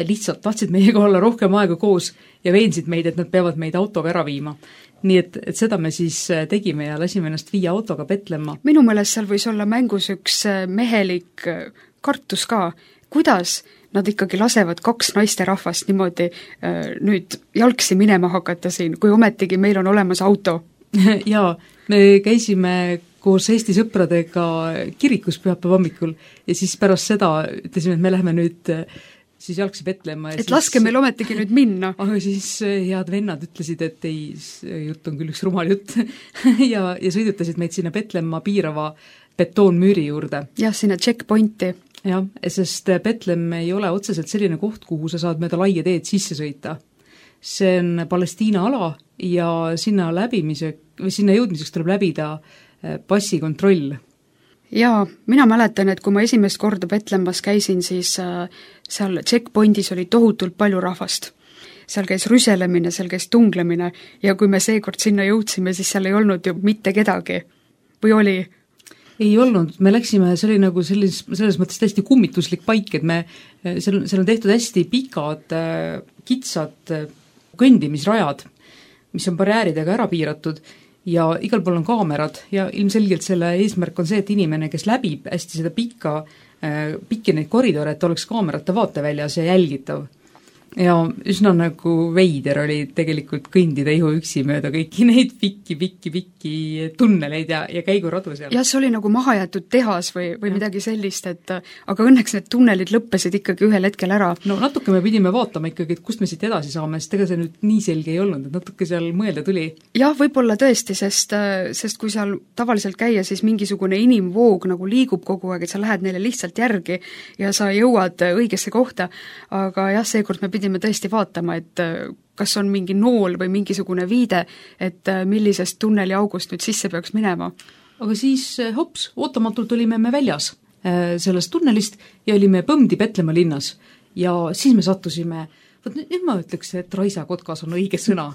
[SPEAKER 2] lihtsalt tahtsid meiega olla rohkem aega koos ja veensid meid, et nad peavad meid autoga ära viima. Nii et seda me siis tegime ja lasime ennast viia autoga Petlemma.
[SPEAKER 3] Minu meelest seal võis olla mängus üks mehelik kartus ka. Kuidas nad ikkagi lasevad kaks naisterahvast niimoodi nüüd jalgsi minema hakata siin, kui ometigi meil on olemas auto?
[SPEAKER 2] Jaa, me käisime koos Eesti sõpradega kirikus pühapäeva hommikul ja siis pärast seda ütlesime, et me läheme nüüd siis jalgsi Petlemma.
[SPEAKER 3] Et laske meil ometigi nüüd minna.
[SPEAKER 2] Aga siis head vennad ütlesid, et ei, jutt on küll üks rumal jutt ja sõidutasid meid sinna Petlemma piirava betoonmüüri juurde.
[SPEAKER 3] Jah, sinna checkpointi.
[SPEAKER 2] Jah, sest Petlemm ei ole otseselt selline koht, kuhu sa saad mööda laia teed sisse sõita. See on Palestiina ala ja sinna jõudmiseks tuleb läbida passikontroll. Jaa,
[SPEAKER 3] mina mäletan, et kui ma esimest korda Petlemmas käisin, siis seal checkpointis oli tohutult palju rahvast. Seal käis rüselemine, seal käis tunglemine ja kui me seekord sinna jõudsime, siis seal ei olnud ju mitte kedagi. Või oli?
[SPEAKER 2] Ei olnud, me läksime, see oli nagu selles mõttes täiesti kummituslik paik, et seal on tehtud hästi pikad, kitsad kõndimisrajad, mis on barjääridega ära piiratud ja igal pool on kaamerad ja ilmselgelt selle eesmärk on see, et inimene, kes läbib hästi seda pikki neid koridore, et oleks kaamerate vaateväljas ja jälgitav. Ja üsna nagu veider oli tegelikult kõndida ihuüksi mööda kõiki neid pikki tunneleid ja käiguradu seal.
[SPEAKER 3] Ja see oli nagu mahajätud tehas või midagi sellist, aga õnneks need tunnelid lõppesid ikkagi ühel hetkel ära.
[SPEAKER 2] No natuke me pidime vaatama ikkagi, et kust me siit edasi saame, sest ega see nüüd nii selge ei olnud, et natuke seal mõelda tuli.
[SPEAKER 3] Jah, võib-olla tõesti, sest kui seal tavaliselt käia, siis mingisugune inimvoog nagu liigub kogu aeg, et sa lähed neile lihtsalt järgi ja sa jõuad õigesse kohta, aga jah, seekord me pidime tõesti vaatama, et kas on mingi nool või mingisugune viide, et millisest tunneli august nüüd sisse peaks minema.
[SPEAKER 2] Aga siis hops, ootamatult olime me väljas sellest tunnelist ja olime põmdi Petlemma linnas ja siis me sattusime, nüüd ma ütleks, et raisakotkas on õige sõna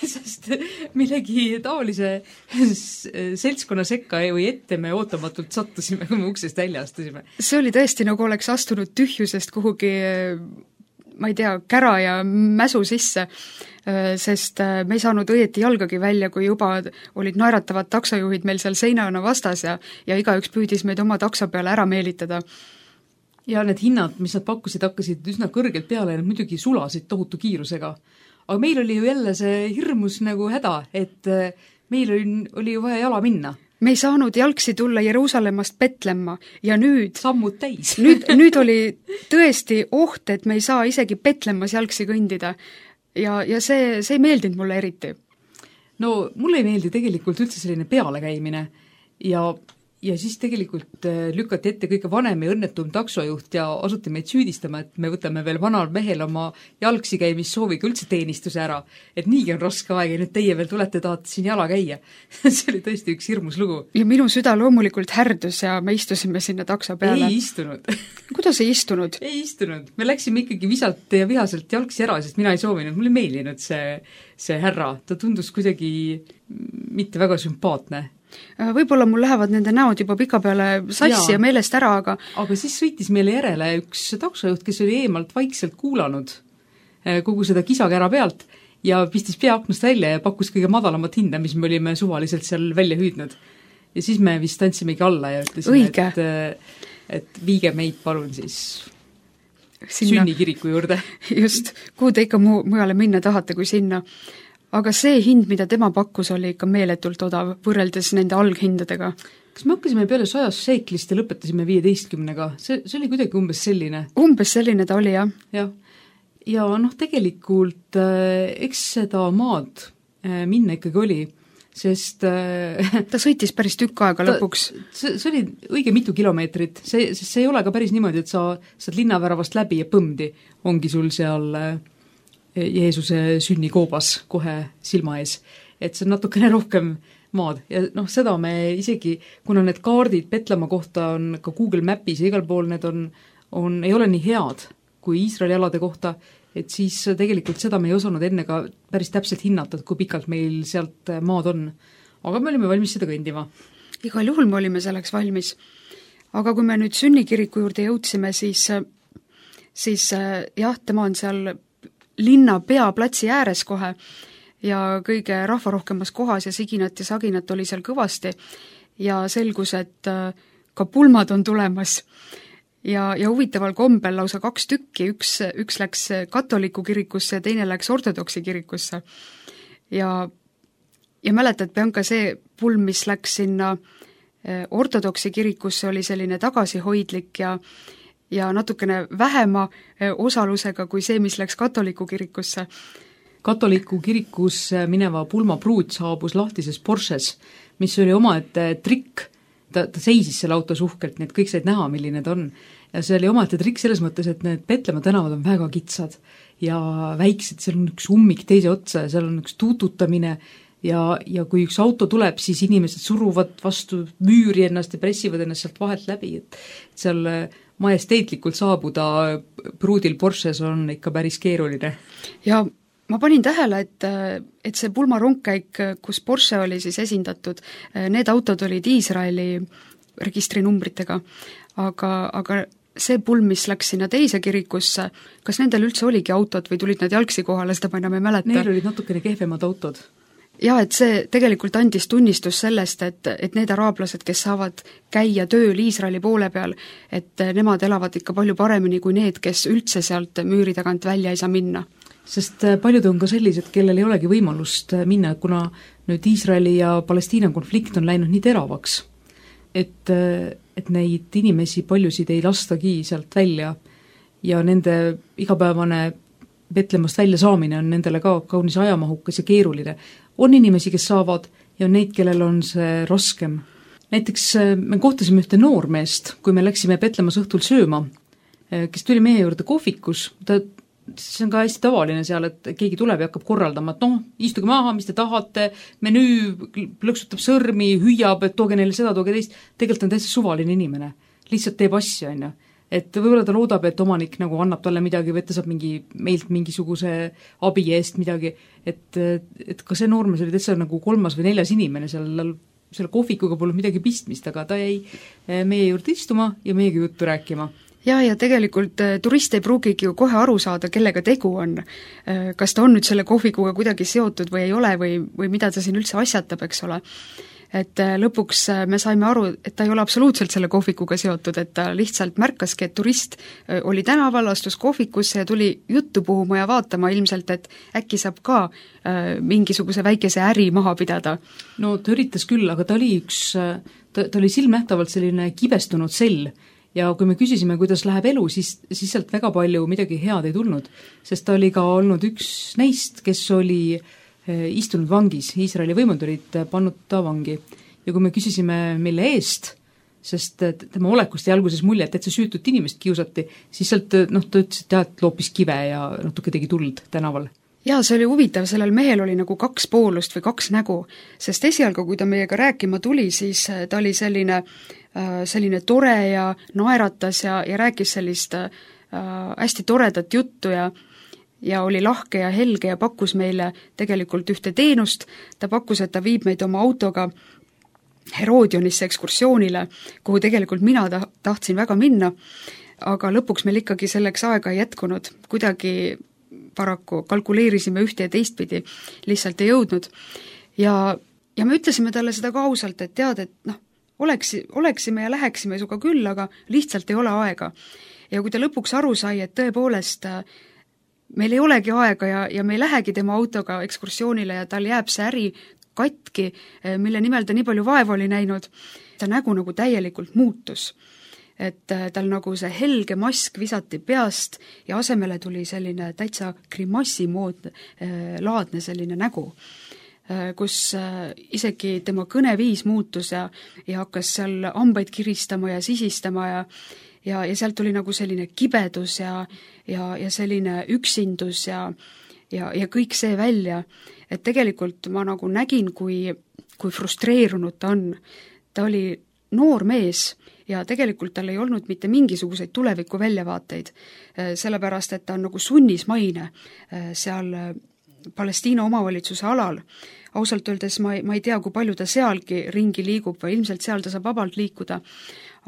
[SPEAKER 2] sest millegi taolise seltskonna sekka või ette me ootamatult sattusime, kui me uksest välja astusime.
[SPEAKER 3] See oli tõesti nagu oleks astunud tühjusest kuhugi ma ei tea, kära ja mäsu sisse, sest me ei saanud õieti jalgagi välja, kui juba olid naeratavad taksojuhid meil seal seinana vastas ja igaüks püüdis meid oma takso peale ära meelitada.
[SPEAKER 2] Ja need hinnad, mis nad pakkusid, hakkasid üsna kõrgelt peale ja nad muidugi sulasid tohutu kiirusega. Aga meil oli ju jälle see hirmus nagu häda, et meil oli ju vaja jala minna.
[SPEAKER 3] Me ei saanud jalgsi tulla Jeruusalemmast Petlemma ja nüüd
[SPEAKER 2] sammud täis.
[SPEAKER 3] nüüd oli tõesti oht, et me ei saa isegi Petlemmas jalgsi kõndida ja see ei meeldinud mulle eriti.
[SPEAKER 2] No mulle ei meeldi tegelikult üldse selline pealekäimine ja siis tegelikult lükati ette kõige vanem ja õnnetum taksojuht ja asuti meid süüdistama, et me võtame veel vanal mehel oma jalgsi käimissooviga üldse teenistuse ära, et niigi on raske aeg ja nüüd teie veel tulete, tahate siin jala käia. See oli tõesti üks hirmus lugu.
[SPEAKER 3] Ja minu süda loomulikult härdus ja me istusime sinna takso peale.
[SPEAKER 2] Ei istunud.
[SPEAKER 3] Kuidas ei istunud?
[SPEAKER 2] Ei istunud. Me läksime ikkagi visalt ja vihaselt jalgsi ära, sest mina ei soovinud, mulle ei meeldinud see härra. Ta tundus kuidagi mitte väga sümpaatne.
[SPEAKER 3] Võib-olla mul lähevad nende näod juba pika peale sassi ja meelest ära,
[SPEAKER 2] aga siis sõitis meile järele üks taksojuht, kes oli eemalt vaikselt kuulanud kogu seda kisakära pealt ja pistis peaaknast välja ja pakkus kõige madalamat hinda, mis me olime suvaliselt seal välja hüüdnud. Ja siis me vist andsimegi alla ja ütlesime, et viige meid palun siis
[SPEAKER 3] sinna
[SPEAKER 2] sünnikiriku juurde.
[SPEAKER 3] Just, kuhu te ikka mujale minna tahate kui sinna. Aga see hind, mida tema pakkus, oli ikka meeletult odav võrreldes nende alghindadega.
[SPEAKER 2] Kas me hakkasime peale 100 šeiklist ja lõpetasime 15-ga? See oli kuidagi umbes selline?
[SPEAKER 3] Umbes selline ta oli, jah.
[SPEAKER 2] Jah. Ja tegelikult eks seda maad minna ikkagi oli, sest
[SPEAKER 3] ta sõitis päris tükk aega lõpuks.
[SPEAKER 2] See oli õige mitu kilomeetrit, see ei ole ka päris niimoodi, et sa saad linnaväravast läbi ja põmdi ongi sul seal Jeesuse sünnikoobas kohe silma ees. Et see on natukene rohkem maad ja seda me isegi, kuna need kaardid Petlemma kohta on ka Google Mapis ja igal pool need ei ole nii head kui Iisraeli alade kohta, et siis tegelikult seda me ei osanud enne ka päris täpselt hinnata, kui pikalt meil sealt maad on. Aga me olime valmis seda kõndima.
[SPEAKER 3] Igal juhul me olime selleks valmis. Aga kui me nüüd sünnikiriku juurde jõudsime, siis jah, tema on seal linna peaplatsi ääres kohe ja kõige rahvarohkemas kohas ja siginat ja saginat oli seal kõvasti ja selgus, et ka pulmad on tulemas. Ja huvitaval kombel lausa 2 tükki, üks läks katoliku kirikusse ja teine läks ortodoksi kirikusse. Ja mäletad, Bianca, see pulm, mis läks sinna ortodoksi kirikusse, oli selline tagasihoidlik ja natukene vähema osalusega kui see, mis läks katoliku kirikusse.
[SPEAKER 2] Katoliku kirikusse mineva pulmapruut saabus lahtises Porsches, mis oli omaette trikk. Ta seisis selle auto suhkelt, nii et kõik said näha, milline ta on. Ja see oli omaette trikk selles mõttes, et need Petlemma tänavad on väga kitsad ja väiksed, seal on üks ummik teise otsa ja seal on üks tuututamine ja kui üks auto tuleb, siis inimesed suruvad vastu müüri ennast ja pressivad ennast sealt vahelt läbi, et seal majesteetlikult saabuda pruudil Porsches on ikka päris keeruline.
[SPEAKER 3] Ja ma panin tähele, et see pulmarongkäik, kus Porsche oli siis esindatud, need autod olid Iisraeli registrinumbritega, aga see pulm, mis läks sinna teise kirikusse, kas nendel üldse oligi autod või tulid nad jalgsi kohale, seda ma enam ei mäleta?
[SPEAKER 2] Neil olid natukene kehvemad autod.
[SPEAKER 3] Ja, et see tegelikult andis tunnistus sellest, et need araablased, kes saavad käia tööl Iisraeli poole peal, et nemad elavad ikka palju paremini kui need, kes üldse sealt müüri tagant välja ei saa minna.
[SPEAKER 2] Sest paljud on ka sellised, kellel ei olegi võimalust minna, kuna nüüd Iisraeli ja Palestiina konflikt on läinud nii teravaks, et neid inimesi paljusid ei lastagi sealt välja ja nende igapäevane Betlemmast välja saamine on nendele ka kaunis ajamahukas ja keeruline. On inimesi, kes saavad ja on neid, kellel on see raskem. Näiteks me kohtasime ühte noormeest, kui me läksime Betlemmas õhtul sööma, kes tuli meie juurde kohvikus, see on ka hästi tavaline seal, et keegi tuleb ja hakkab korraldama, et istuge maha, mis te tahate, menüü plõksutab sõrmi, hüüab, et tooge neile seda, tooge teist, tegelikult on täitsa suvaline inimene, lihtsalt teeb asja, on ju. Et võib-olla ta loodab, et omanik nagu annab talle midagi või et ta saab meilt mingisuguse abi eest midagi, et ka see noormees oli täitsa nagu 3. või 4. inimene selle kohvikuga polnud midagi pistmist, aga ta jäi meie juurde istuma ja meiega juttu rääkima.
[SPEAKER 3] Ja tegelikult turist ei pruugigi ju kohe aru saada, kellega tegu on. Kas ta on nüüd selle kohvikuga kuidagi seotud või ei ole või mida ta siin üldse asjatab, eks ole. Et lõpuks me saime aru, et ta ei ole absoluutselt selle kohvikuga seotud, et ta lihtsalt märkaski, et turist oli tänaval, astus kohvikusse ja tuli juttu puhuma ja vaatama ilmselt, et äkki saab ka mingisuguse väikese äri maha pidada.
[SPEAKER 2] No ta üritas küll, aga ta oli silmnähtavalt selline kibestunud sell. Ja kui me küsisime, kuidas läheb elu, siis sealt väga palju midagi head ei tulnud, sest ta oli ka olnud üks neist, kes oli istunud vangis, Iisraeli võimud olid pannud ta vangi. Ja kui me küsisime, mille eest, sest tema olekust ja alguses mulje, et see süütut inimest kiusati, siis sealt ta ütles, et loopis kive ja natuke tegi tuld tänaval.
[SPEAKER 3] Jaa, see oli huvitav, sellel mehel oli nagu 2 poolust või 2 nägu, sest esialgu, kui ta meiega rääkima tuli, siis ta oli selline tore ja naeratas ja rääkis sellist hästi toredat juttu ja oli lahke ja helge ja pakkus meile tegelikult ühte teenust. Ta pakkus, et ta viib meid oma autoga Herodionisse ekskursioonile, kuhu tegelikult mina tahtsin väga minna, aga lõpuks meil ikkagi selleks aega ei jätkunud. Kuidagi paraku kalkuleerisime ühte ja teistpidi, lihtsalt ei jõudnud. Ja me ütlesime talle seda ka ausalt, et tead, et oleksime ja läheksime sinuga küll, aga lihtsalt ei ole aega. Ja kui ta lõpuks aru sai, et tõepoolest meil ei olegi aega ja me ei lähegi tema autoga ekskursioonile ja tal jääb see äri katki, mille nimel ta nii palju vaeva oli näinud, ta nägu nagu täielikult muutus. Et tal nagu see helge mask visati peast ja asemele tuli selline täitsa grimassimood laadne selline nägu, kus isegi tema kõneviis muutus ja hakkas seal hambaid kiristama ja sisistama ja sealt tuli nagu selline kibedus ja selline üksindus ja kõik see välja, et tegelikult ma nagu nägin, kui frustreerunud ta on. Ta oli noor mees ja tegelikult tal ei olnud mitte mingisuguseid tuleviku väljavaateid, sellepärast et ta on nagu sunnismaine seal Palestiina omavalitsuse alal. Ausalt öeldes ma ei tea, kui palju ta sealgi ringi liigub või ilmselt seal ta saab vabalt liikuda,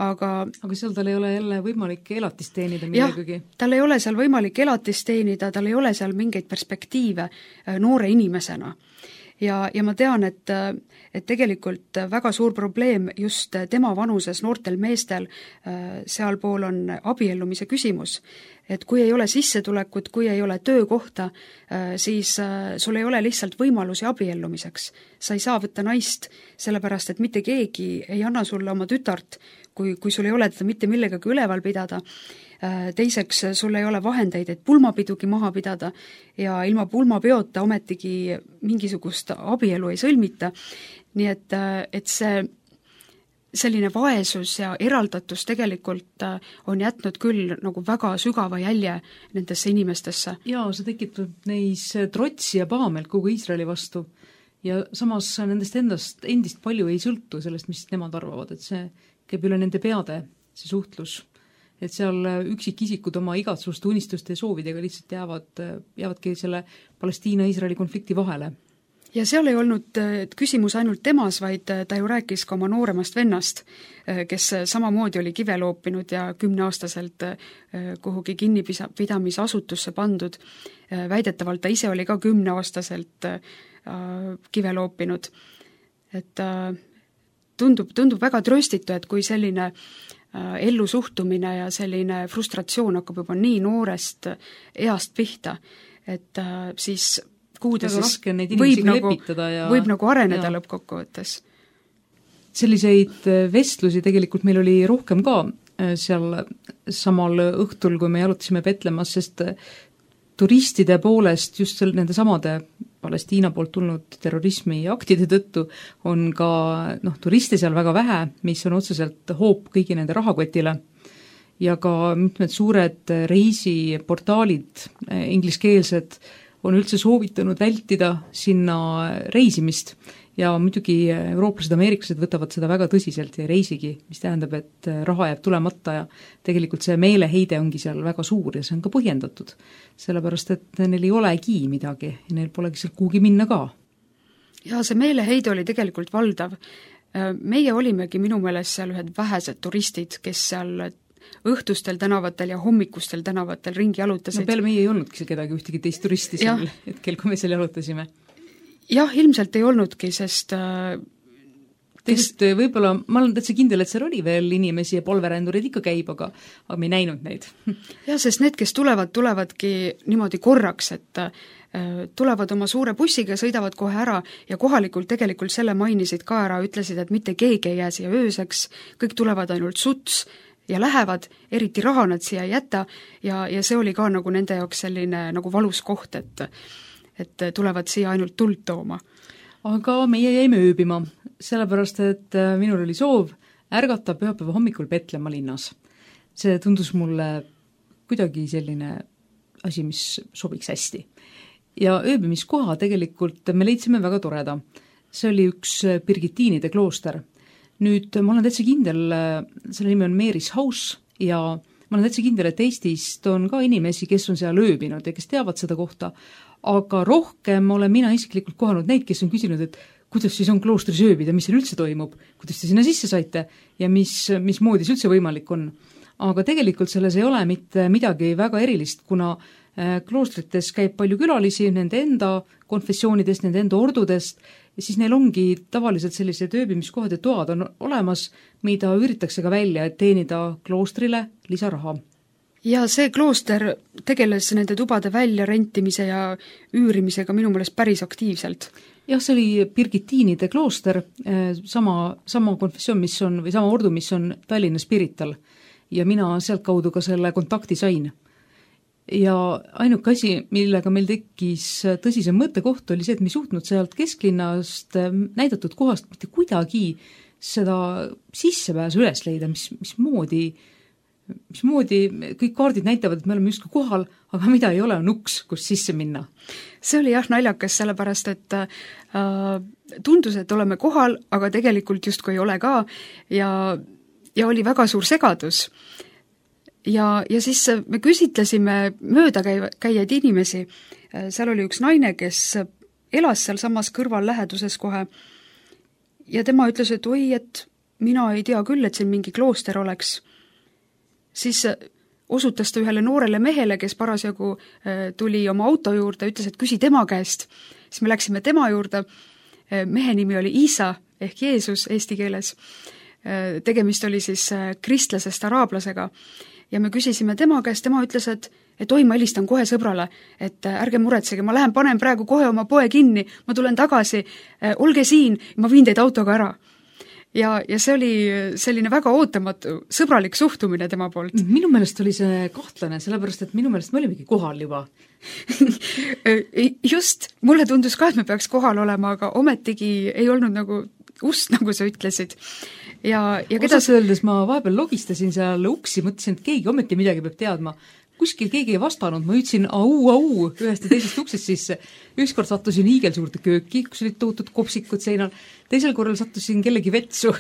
[SPEAKER 3] aga
[SPEAKER 2] seal tal ei ole jälle võimalik elatist teenida millegagi?
[SPEAKER 3] Tal ei ole seal võimalik elatist teenida, tal ei ole seal mingeid perspektiive noore inimesena. Ja ma tean, et tegelikult väga suur probleem just tema vanuses noortel meestel sealpool on abiellumise küsimus. Et kui ei ole sissetulekut, kui ei ole töökohta, siis sul ei ole lihtsalt võimalusi abiellumiseks. Sa ei saa võtta naist, sellepärast et mitte keegi ei anna sulle oma tütart, kui sul ei ole teda mitte millegagi üleval pidada. Teiseks, sul ei ole vahendeid, et pulmapidugi maha pidada ja ilma pulmapeota ometigi mingisugust abielu ei sõlmita. Nii et see selline vaesus ja eraldatus tegelikult on jätnud küll nagu väga sügava jälje nendesse inimestesse.
[SPEAKER 2] Jaa, see tekitab neis trotsi ja pahameelt kogu Iisraeli vastu ja samas nendest endist palju ei sõltu sellest, mis nemad arvavad, et see käib üle nende peade, see suhtlus. Et seal üksikisikud oma igatsuste, unistuste ja soovidega lihtsalt jäävadki selle Palestiina-Iisraeli konflikti vahele.
[SPEAKER 3] Ja seal ei olnud küsimus ainult temas, vaid ta ju rääkis ka oma nooremast vennast, kes samamoodi oli kive loopinud ja 10-aastaselt kuhugi kinnipidamisasutusse pandud. Väidetavalt ta ise oli ka 10-aastaselt kive loopinud. Et tundub väga tröstitu, et kui selline ellusuhtumine ja selline frustratsioon hakkab juba nii noorest east pihta, et siis kuhu ta siis võib nagu areneda lõppkokkuvõttes.
[SPEAKER 2] Selliseid vestlusi tegelikult meil oli rohkem ka seal samal õhtul, kui me jalutasime Petlemas, sest turistide poolest just nende samade Palestiina poolt tulnud terrorismi aktide tõttu on ka turiste seal väga vähe, mis on otseselt hoop kõigi nende rahakotile ja ka mitmed suured reisiportaalid, ingliskeelsed, on üldse soovitanud vältida sinna reisimist ja muidugi eurooplased, ameeriklased võtavad seda väga tõsiselt ja ei reisigi, mis tähendab, et raha jääb tulemata ja tegelikult see meeleheide ongi seal väga suur ja see on ka põhjendatud, sellepärast et neil ei olegi midagi ja neil polegi seal kuhugi minna ka.
[SPEAKER 3] Ja see meeleheide oli tegelikult valdav. Meie olimegi minu meelest seal ühed vähesed turistid, kes seal õhtustel tänavatel ja hommikustel tänavatel ringi jalutasid.
[SPEAKER 2] Peale meie ei olnudki kedagi ühtegi teist turisti seal hetkel, kui me seal jalutasime.
[SPEAKER 3] Jah, ilmselt ei olnudki, sest
[SPEAKER 2] võib-olla, ma olen täitsa kindel, et seal oli veel inimesi ja polverändurid ikka käib, aga me ei näinud neid.
[SPEAKER 3] Jah, sest need, kes tulevadki niimoodi korraks, et tulevad oma suure bussiga, sõidavad kohe ära ja kohalikult tegelikult selle mainisid ka ära, ütlesid, et mitte keegi ei jää siia ööseks, kõik tulevad ainult suts ja lähevad, eriti raha nad siia ei jäta ja see oli ka nagu nende jaoks selline nagu valus koht, et tulevad siia ainult tuld tooma.
[SPEAKER 2] Aga meie jäime ööbima, sellepärast, et minul oli soov ärgata pühapäeva hommikul Petlemma linnas. See tundus mulle kuidagi selline asi, mis sobiks hästi. Ja ööbimiskoha tegelikult me leidsime väga toreda. See oli üks Birgitiinide klooster. Nüüd ma olen täitsa kindel, selle nimi on Mary's House ja ma olen täitsa kindel, et Eestist on ka inimesi, kes on seal ööbinud ja kes teavad seda kohta, aga rohkem olen mina isiklikult kohanud neid, kes on küsinud, et kuidas siis on kloostris ööbida, mis seal üldse toimub, kuidas te sinna sisse saite ja mismoodi see üldse võimalik on. Aga tegelikult selles ei ole mitte midagi väga erilist, kuna kloostrites käib palju külalisi nende enda konfessioonidest, nende enda ordudest ja siis neil ongi tavaliselt sellised ööbimiskohad ja toad on olemas, mida üüritakse ka välja, et teenida kloostrile lisaraha.
[SPEAKER 3] ja see klooster tegeles nende tubade väljarentimise ja üürimisega minu meelest päris aktiivselt.
[SPEAKER 2] Jah, see oli Birgitiinide klooster, sama konfessioon, mis on, või sama ordu, mis on Tallinna Spirital. Ja mina sealt kaudu ka selle kontakti sain. Ja ainuke asi, millega meil tekkis tõsisem mõttekoht, oli see, et me ei suutnud sealt kesklinnast näidatud kohast mitte kuidagi seda sissepääsu üles leida, mismoodi kõik kaardid näitavad, et me oleme justkui kohal, aga mida ei ole, on uks, kus sisse minna.
[SPEAKER 3] See oli jah naljakas, sellepärast et tundus, et oleme kohal, aga tegelikult justkui ei ole ka ja oli väga suur segadus. Ja siis me küsitlesime möödakäijaid inimesi. Seal oli üks naine, kes elas seal samas kõrval läheduses kohe ja tema ütles, et oi, et mina ei tea küll, et siin mingi klooster oleks. Siis osutas ta ühele noorele mehele, kes parasjagu tuli oma auto juurde, ütles, et küsi tema käest. Siis me läksime tema juurde. Mehe nimi oli Iisa ehk Jeesus eesti keeles. Tegemist oli siis kristlasest araablasega ja me küsisime tema käest, tema ütles, et oi, ma helistan kohe sõbrale, et ärge muretsege, ma panen praegu kohe oma poe kinni, ma tulen tagasi, olge siin, ma viin teid autoga ära. Ja see oli selline väga ootamatu, sõbralik suhtumine tema poolt.
[SPEAKER 2] Minu meelest oli see kahtlane, sellepärast et minu meelest me olimegi kohal juba.
[SPEAKER 3] Just, mulle tundus ka, et me peaks kohal olema, aga ometigi ei olnud nagu ust, nagu sa ütlesid.
[SPEAKER 2] Osas öeldes ma vahepeal logistasin seal uksi, mõtlesin, et keegi ometi midagi peab teadma. Kuskil keegi ei vastanud, ma ütlesin au ühest ja teisest uksest sisse. Ükskord sattusin hiigelsuurde kööki, kus olid tohutud kopsikud seinal. Teisel korral sattusin kellegi vetsu,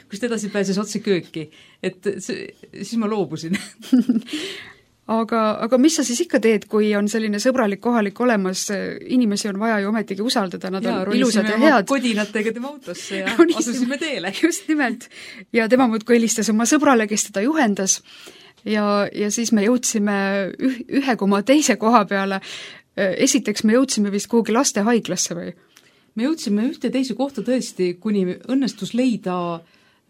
[SPEAKER 2] kust edasi pääses otse kööki. Siis ma loobusin.
[SPEAKER 3] Aga mis sa siis ikka teed, kui on selline sõbralik kohalik olemas, inimesi on vaja ju ometigi usaldada, nad on ilusad ja head.
[SPEAKER 2] Kodinatega tema autosse ja asusime teele.
[SPEAKER 3] Just nimelt. Ja tema muudkui helistas oma sõbrale, kes teda juhendas ja siis me jõudsime ühe koma teise koha peale. Esiteks me jõudsime vist kuhugi lastehaiglasse või?
[SPEAKER 2] Me jõudsime ühte teise kohta tõesti, kuni õnnestus leida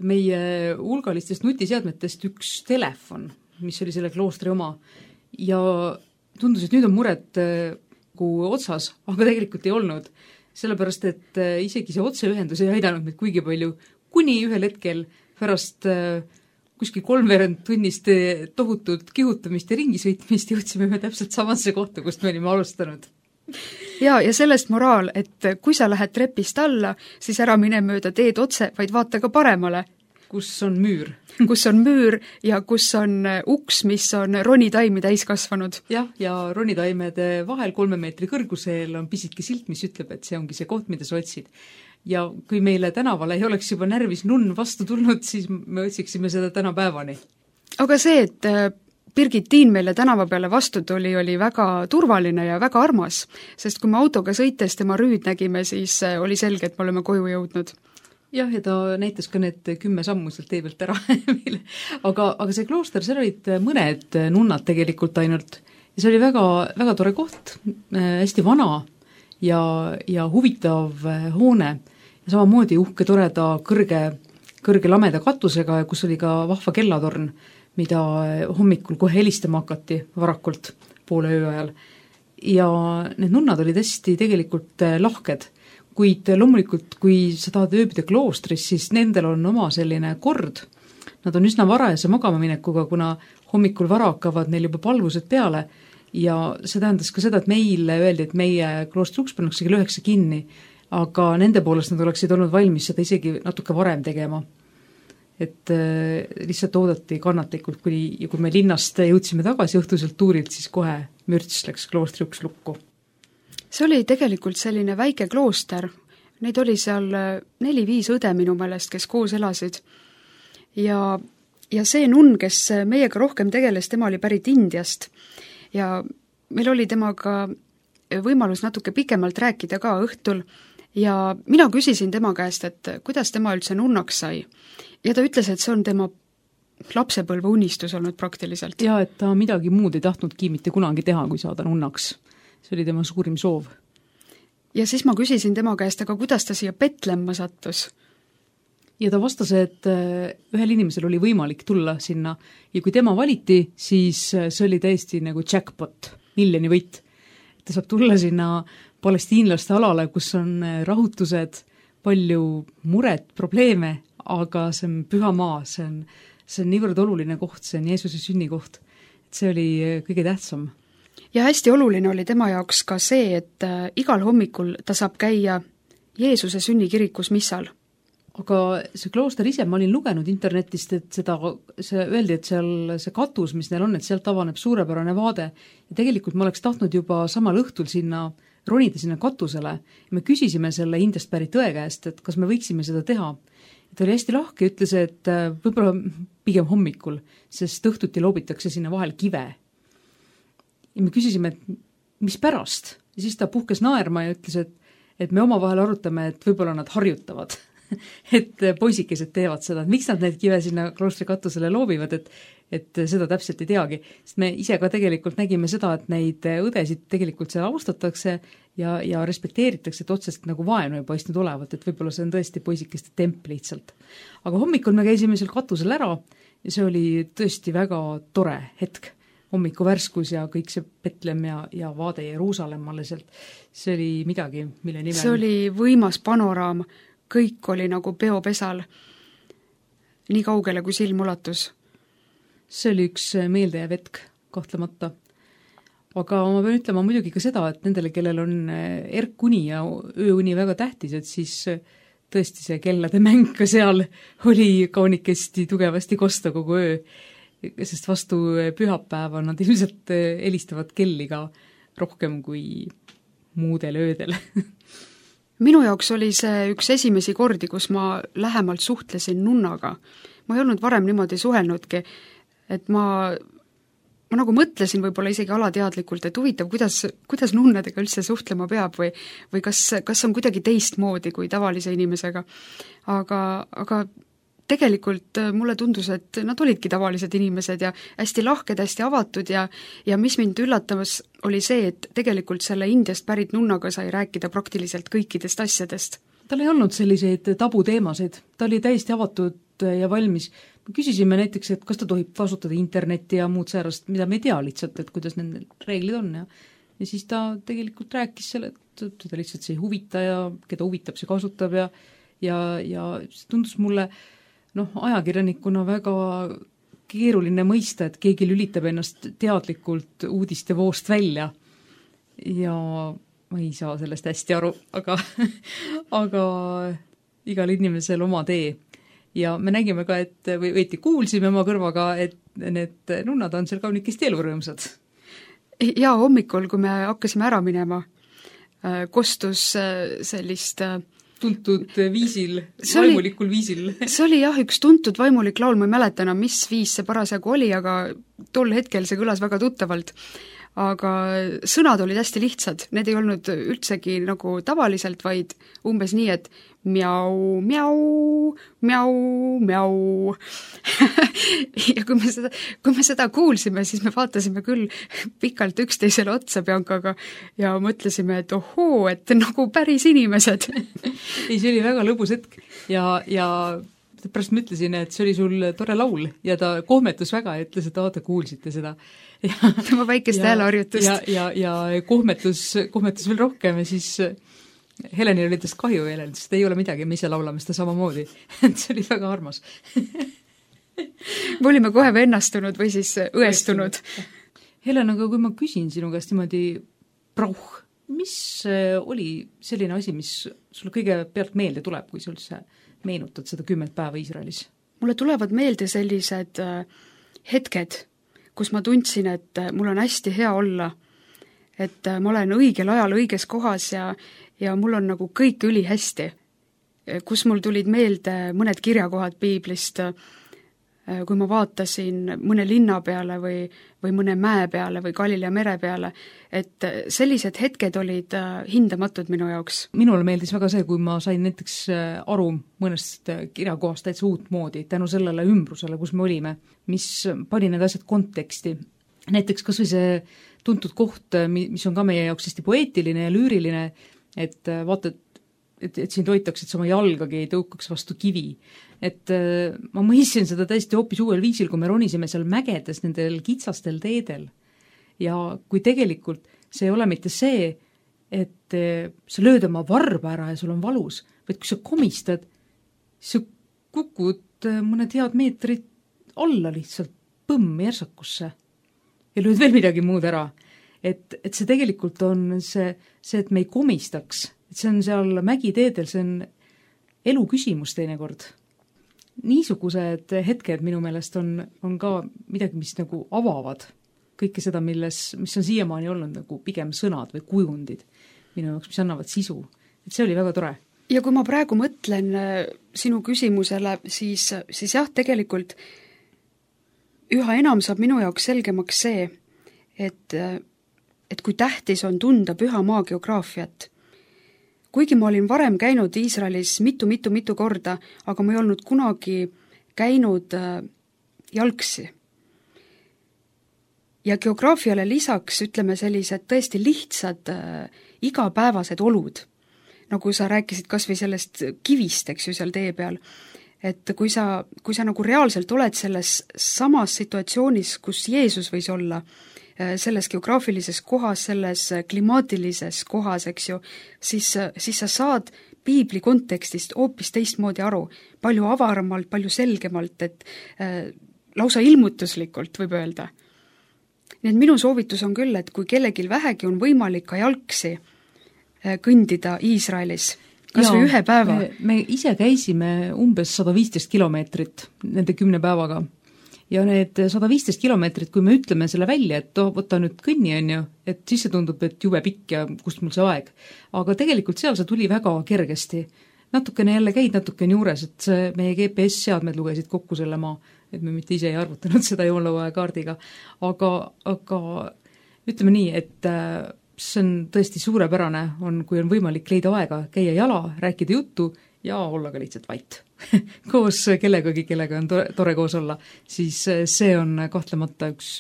[SPEAKER 2] meie hulgalistest nutiseadmetest üks telefon, mis oli selle kloostri oma ja tundus, et nüüd on mured otsas, aga tegelikult ei olnud, sellepärast et isegi see otseühendus ei aidanud meid kuigi palju, kuni ühel hetkel pärast kuskil 3/4 tunnist tohutult kihutamist ja ringisõitmist jõudsime me täpselt samasse kohta, kust me olime alustanud.
[SPEAKER 3] Ja sellest moraal, et kui sa lähed trepist alla, siis ära mine mööda teed otse, vaid vaata ka paremale.
[SPEAKER 2] Kus on müür.
[SPEAKER 3] Kus on müür ja kus on uks, mis on ronitaimi täis kasvanud.
[SPEAKER 2] Jah, ja ronitaimede vahel 3 meetri kõrgusel on pisike silt, mis ütleb, et see ongi see koht, mida sa otsid. Ja kui meile tänavale ei oleks juba närvis nunn vastu tulnud, siis me otsiksime seda tänapäevani.
[SPEAKER 3] Aga see, et Birgitiin meile tänava peale vastu tuli, oli väga turvaline ja väga armas, sest kui me autoga sõites tema rüüd nägime, siis oli selge, et me oleme koju jõudnud.
[SPEAKER 2] Jah, ja ta näitas ka need 10 sammu sealt tee pealt ära meile. Aga see klooster, seal olid mõned nunnad tegelikult ainult ja see oli väga, väga tore koht, hästi vana ja huvitav hoone ja samamoodi uhke toreda kõrge lameda katusega, kus oli ka vahva kellatorn, mida hommikul kohe helistama hakati varakult poole öö ajal. Ja need nunnad olid hästi tegelikult lahked, kuid loomulikult, kui sa tahad ööbida kloostris, siis nendel on oma selline kord. Nad on üsna varajase magamaminekuga, kuna hommikul vara hakkavad neil juba palvused peale ja see tähendas ka seda, et meile öeldi, et meie kloostri uks pannakse kell 9 kinni, aga nende poolest nad oleksid olnud valmis seda isegi natuke varem tegema. Et lihtsalt oodati kannatlikult, kui me linnast jõudsime tagasi õhtuselt tuurilt, siis kohe mürts läks kloostri uks lukku.
[SPEAKER 3] See oli tegelikult selline väike klooster, neid oli seal 4-5 õde minu meelest, kes koos elasid. Ja see nunn, kes meiega rohkem tegeles, tema oli pärit Indiast ja meil oli temaga võimalus natuke pikemalt rääkida ka õhtul ja mina küsisin tema käest, et kuidas tema üldse nunnaks sai. Ja ta ütles, et see on tema lapsepõlve unistus olnud praktiliselt.
[SPEAKER 2] Ja et ta midagi muud ei tahtnudki mitte kunagi teha, kui saada nunnaks. See oli tema suurim soov.
[SPEAKER 3] ja siis ma küsisin tema käest, aga kuidas ta siia Petlemma sattus?
[SPEAKER 2] Ja ta vastas, et ühel inimesel oli võimalik tulla sinna ja kui tema valiti, siis see oli täiesti nagu jackpot, miljoni võit. Ta saab tulla sinna palestiinlaste alale, kus on rahutused, palju muret, probleeme, aga see on püha maa, see on niivõrd oluline koht, see on Jeesuse sünnikoht. See oli kõige tähtsam.
[SPEAKER 3] Ja hästi oluline oli tema jaoks ka see, et igal hommikul ta saab käia Jeesuse sünnikirikus missal.
[SPEAKER 2] Aga see klooster ise, ma olin lugenud internetist, et see öeldi, et seal see katus, mis neil on, et sealt avaneb suurepärane vaade. Ja tegelikult ma oleks tahtnud juba samal õhtul ronida sinna katusele ja me küsisime selle Indiast pärit õe käest, et kas me võiksime seda teha. Ta oli hästi lahke ja ütles, et võib-olla pigem hommikul, sest õhtuti loobitakse sinna vahel kive. Ja me küsisime, et mis pärast? Ja siis ta puhkes naerma ja ütles, et me omavahel arutame, et võib-olla nad harjutavad. Et poisikesed teevad seda, et miks nad need kive sinna kloostri katusele loobivad, et seda täpselt ei teagi. Sest me ise ka tegelikult nägime seda, et neid õdesid tegelikult seal austatakse ja respekteeritakse, et otsest nagu vaenu ei paistnud olevat, et võib-olla see on tõesti poisikeste temp lihtsalt. Aga hommikul me käisime seal katusel ära ja see oli tõesti väga tore hetk. Hommiku värskus ja kõik see Petlem ja vaade Jeruusalemmale sealt. See oli midagi, mille nimel...
[SPEAKER 3] See oli võimas panoraam. Kõik oli nagu peopesal, nii kaugele kui silm ulatus.
[SPEAKER 2] See oli üks meeldejääv hetk, kahtlemata. Aga ma pean ütlema muidugi ka seda, et nendele, kellel on erkuni ja ööuni väga tähtis, et siis tõesti see kellade mäng ka seal oli kaunikesti tugevasti kosta kogu öö, sest vastu pühapäeva nad ilmselt helistavad kelli ka rohkem kui muudel öödel.
[SPEAKER 3] Minu jaoks oli see üks esimesi kordi, kus ma lähemalt suhtlesin nunnaga. Ma ei olnud varem niimoodi suhelnudki, et ma nagu mõtlesin võib-olla isegi alateadlikult, et huvitav, kuidas nunnadega üldse suhtlema peab või kas on kuidagi teistmoodi kui tavalise inimesega. Aga tegelikult mulle tundus, et nad olidki tavalised inimesed ja hästi lahked, hästi avatud ja mis mind üllatamas oli see, et tegelikult selle Indiast pärit nunnaga sai rääkida praktiliselt kõikidest asjadest.
[SPEAKER 2] Tal ei olnud selliseid tabuteemasid, ta oli täiesti avatud ja valmis. Me küsisime näiteks, et kas ta tohib kasutada internetti ja muud säärast, mida me ei tea lihtsalt, et kuidas need reeglid on ja siis ta tegelikult rääkis selle, et teda lihtsalt see ei huvita ja keda huvitab, see kasutab ja see tundus mulle ajakirjanikuna väga keeruline mõista, et keegi lülitab ennast teadlikult uudiste voost välja ja ma ei saa sellest hästi aru, aga igal inimesel oma tee. Ja me nägime ka, et või kuulsime oma kõrvaga, et need nunnad on seal kaunikesti elurõõmsad.
[SPEAKER 3] Ja hommikul, kui me hakkasime ära minema, kostus sellist
[SPEAKER 2] tuntud viisil, vaimulikul viisil.
[SPEAKER 3] See oli jah, üks tuntud vaimulik laul, ma ei mäleta enam, mis viis see parasjagu oli, aga tol hetkel see kõlas väga tuttavalt. Aga sõnad olid hästi lihtsad, need ei olnud üldsegi nagu tavaliselt, vaid umbes nii, et miau, miau, miau, miau. Ja kui me seda kuulsime, siis me vaatasime küll pikalt üksteisele otsa Biancaga ja mõtlesime, et ohoo, et nagu päris inimesed.
[SPEAKER 2] Ei, see oli väga lõbus hetk ja pärast ma ütlesin, et see oli sul tore laul ja ta kohmetus väga ja ütles, et te kuulsite seda.
[SPEAKER 3] Tema väikest hääleharjutust.
[SPEAKER 2] Ja kohmetus veel rohkem ja siis Helenil oli tast kahju Helen, sest ei ole midagi, me ise laulame seda samamoodi. See oli väga armas.
[SPEAKER 3] Me olime kohe vennastunud või siis õestunud.
[SPEAKER 2] Helen, aga kui ma küsin sinu käest niimoodi mis oli selline asi, mis sulle kõige pealt meelde tuleb, kui sa üldse meenutad seda 10 päeva Iisraelis?
[SPEAKER 3] Mulle tulevad meelde sellised hetked, kus ma tundsin, et mul on hästi hea olla, et ma olen õigel ajal õiges kohas ja mul on nagu kõik ülihästi, kus mul tulid meelde mõned kirjakohad piiblist, kui ma vaatasin mõne linna peale või mõne mäe peale või Galilea mere peale, et sellised hetked olid hindamatud minu jaoks.
[SPEAKER 2] Minule meeldis väga see, kui ma sain näiteks aru mõnest kirjakohast täitsa uut moodi, tänu sellele ümbrusele, kus me olime, mis pani need asjad konteksti. Näiteks kas või see tuntud koht, mis on ka meie jaoks hästi poeetiline ja lüüriline, et vaata, et sind hoitakse, et sa oma jalgagi ei tõukaks vastu kivi. Et ma mõistsin seda täiesti hoopis uuel viisil, kui me ronisime seal mägedes nendel kitsastel teedel. Ja kui tegelikult see ei ole mitte see, et sa lööd oma varba ära ja sul on valus, vaid kui sa komistad, sa kukud mõned head meetrid alla lihtsalt põmm järsakusse ja lööd veel midagi muud ära. Et see tegelikult on see, et me ei komistaks, et see on seal mägiteedel, see on elu küsimus teinekord. Niisugused hetked minu meelest on ka midagi, mis nagu avavad kõike seda, mis on siiamaani olnud nagu pigem sõnad või kujundid minu jaoks, mis annavad sisu. Et see oli väga tore.
[SPEAKER 3] Ja kui ma praegu mõtlen sinu küsimusele, siis jah, tegelikult üha enam saab minu jaoks selgemaks see, et kui tähtis on tunda püha maa geograafiat. Kuigi ma olin varem käinud Iisraelis mitu korda, aga ma ei olnud kunagi käinud jalgsi. Ja geograafiale lisaks, ütleme, sellised tõesti lihtsad igapäevased olud, nagu sa rääkisid kas või sellest kivist, eks ju, seal tee peal, et kui sa nagu reaalselt oled selles samas situatsioonis, kus Jeesus võis olla, selles geograafilises kohas, selles klimaatilises kohas, eks ju, siis sa saad piibli kontekstist hoopis teistmoodi aru, palju avaramalt, palju selgemalt, et lausa ilmutuslikult võib öelda. Nii et minu soovitus on küll, et kui kellelgi vähegi on võimalik ka jalgsi kõndida Iisraelis, kas või ühe päeva.
[SPEAKER 2] Me ise käisime umbes 115 kilomeetrit nende 10 päevaga. Ja need 115 kilomeetrit, kui me ütleme selle välja, et võta nüüd kõnni, on ju, et siis see tundub, et jube pikk ja kust mul see aeg. Aga tegelikult seal see tuli väga kergesti. Natukene jälle käid natukene juures, et see meie GPS-seadmed lugesid kokku selle maa, et me mitte ise ei arvutanud seda joonlauaja kaardiga. Aga ütleme nii, et see on tõesti suurepärane, kui on võimalik leida aega, käia jala, rääkida juttu ja olla ka lihtsalt vait. Koos kellegagi, kellega on tore koos olla, siis see on kahtlemata üks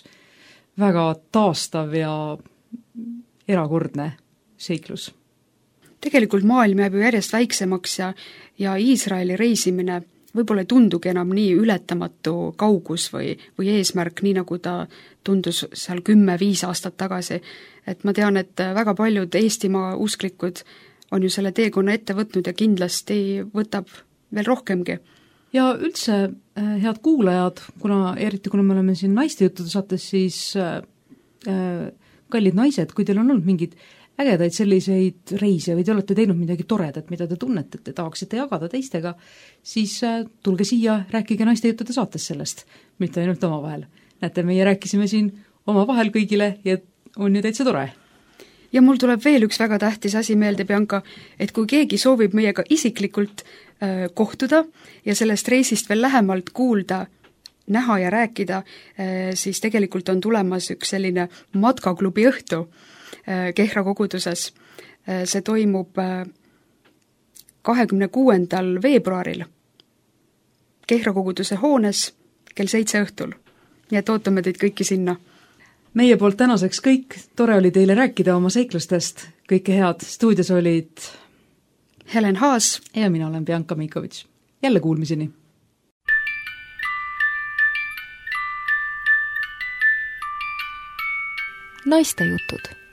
[SPEAKER 2] väga taastav ja erakordne seiklus.
[SPEAKER 3] Tegelikult maailm jääb ju järjest väiksemaks ja Iisraeli reisimine võib-olla ei tundugi enam nii ületamatu kaugus või eesmärk, nii nagu ta tundus seal 10-5 aastat tagasi. Et ma tean, et väga paljud Eestimaa usklikud on ju selle teekonna ette võtnud ja kindlasti võtab veel rohkemgi.
[SPEAKER 2] Ja üldse, head kuulajad, eriti kuna me oleme siin naiste juttude saates, siis kallid naised, kui teil on olnud mingid ägedaid selliseid reise või te olete teinud midagi toredat, mida te tunnete, et te tahaksite jagada teistega, siis tulge siia, rääkige naiste juttude saates sellest, mitte ainult omavahel. Näete, meie rääkisime siin omavahel kõigile ja on ju täitsa tore.
[SPEAKER 3] Ja mul tuleb veel üks väga tähtis asi meelde, Bianca, et kui keegi soovib meiega isiklikult kohtuda ja sellest reisist veel lähemalt kuulda, näha ja rääkida, siis tegelikult on tulemas üks selline matkaklubi õhtu Kehra koguduses. See toimub 26. veebruaril Kehra koguduse hoones kell 7 õhtul. Nii et ootame teid kõiki sinna.
[SPEAKER 2] Meie poolt tänaseks kõik, tore oli teile rääkida oma seiklustest, kõike head. Stuudios olid
[SPEAKER 3] Helen Haas
[SPEAKER 2] ja mina olen Bianca Mikovits. Jälle kuulmiseni!
[SPEAKER 1] Naiste jutud